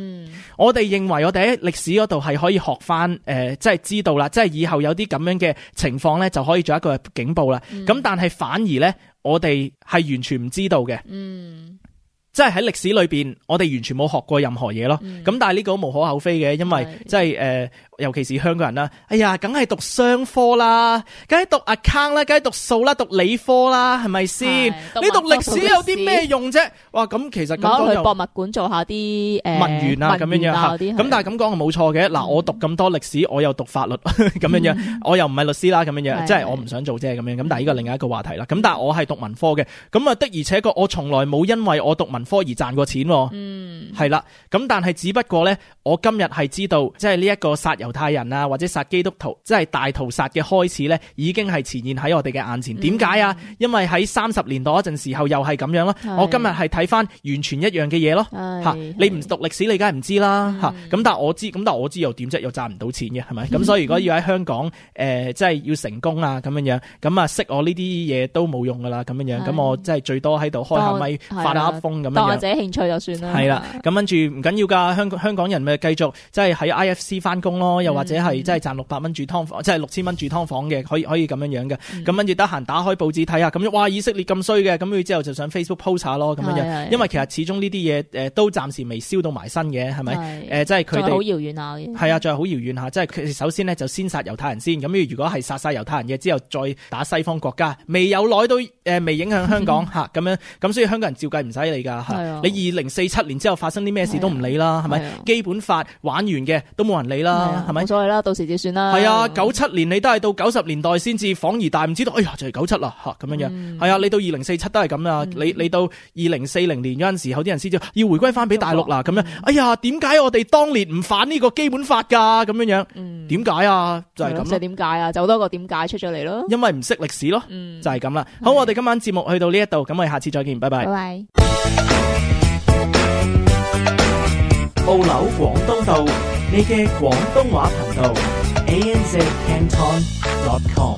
我哋認為我哋喺歷史嗰度係可以學翻，即係知道啦，即係以後有啲咁樣嘅情況咧，就可以做一個警報啦。咁但係反而咧，我哋係完全唔知道嘅。即係喺歷史裏邊，我哋完全冇學過任何嘢咯。咁但係呢個都無可厚非嘅，因為即係尤其是香港人啦，哎呀，梗係讀商科啦，梗係讀 account 啦，梗係讀數啦，讀理科啦，係咪先？你讀歷史有啲咩用啫？哇，咁其實咁去博物館做下啲文員啊，咁樣樣吓。咁但係咁講係冇錯嘅。嗱，我讀咁多歷史，我又讀法律咁樣樣，我又唔係律師啦，咁樣樣，即係我唔想做啫咁樣。咁但係呢個另外一個話題啦。咁但係我係讀文科嘅，咁啊的而且確我從來冇因為我讀文科而賺過錢。係啦。咁但係只不過咧，我今日係知道，即係呢一個殺猶太人啊，或者殺基督徒，即係大屠殺嘅開始咧，已經係呈現喺我哋嘅眼前。點解啊？因為喺30年代嗰陣時候又係咁樣咯。我今日係睇翻完全一樣嘅嘢咯。吓，你唔讀歷史，你梗係唔知啦。吓，咁但係我知又點啫？又賺唔到錢嘅，係咪？咁所以如果要喺香港即係要成功啊咁樣樣，咁啊識我呢啲嘢都冇用噶啦咁樣樣。咁我即係最多喺度開下咪發下噏風咁樣樣。當我自己興趣就算啦。係啦，咁跟住唔緊要噶，香港人咪繼續即係喺 IFC 翻工咯，又或者係即係賺600蚊住劏房，即係6000蚊住劏房嘅，可以咁樣樣嘅。咁跟住得閒打開報紙睇下，咁哇以色列咁衰嘅，咁佢之後就上 Facebook post 下咯，咁樣樣。因為其實始終呢啲嘢都暫時未燒到埋身嘅，係咪？即係佢哋好遙遠下嘅。係啊，仲係好遙遠下，即係佢首先呢，就先殺猶太人先，咁如果係殺晒猶太人嘅之後，再打西方國家，未有耐到未影響香港吓咁樣，咁所以香港人照計唔使理噶。你2047年之後發生啲咩事都唔理啦，係咪？基本法玩完嘅都冇人理啦，係咪？冇所謂啦，到時就算啦。係啊，97年你都係到90年代先至恍而大悟，知道哎呀就係97啦吓咁樣樣。係啊，你到2047都係咁啦。你到2040年嗰陣時候，啲人先至要回歸翻俾大陸啦咁樣。哎呀，點解我哋當年唔反呢個基本法噶咁樣樣？點解啊？就係咁。即係點解啊？就好多個點解出咗嚟咯。因為唔識歷史咯，就係咁啦。好，我哋今晚節目去到呢一度，咁我哋下次再見，拜拜。拜拜。澳紐廣東道，你嘅廣東話頻道 ANZ Canton.com。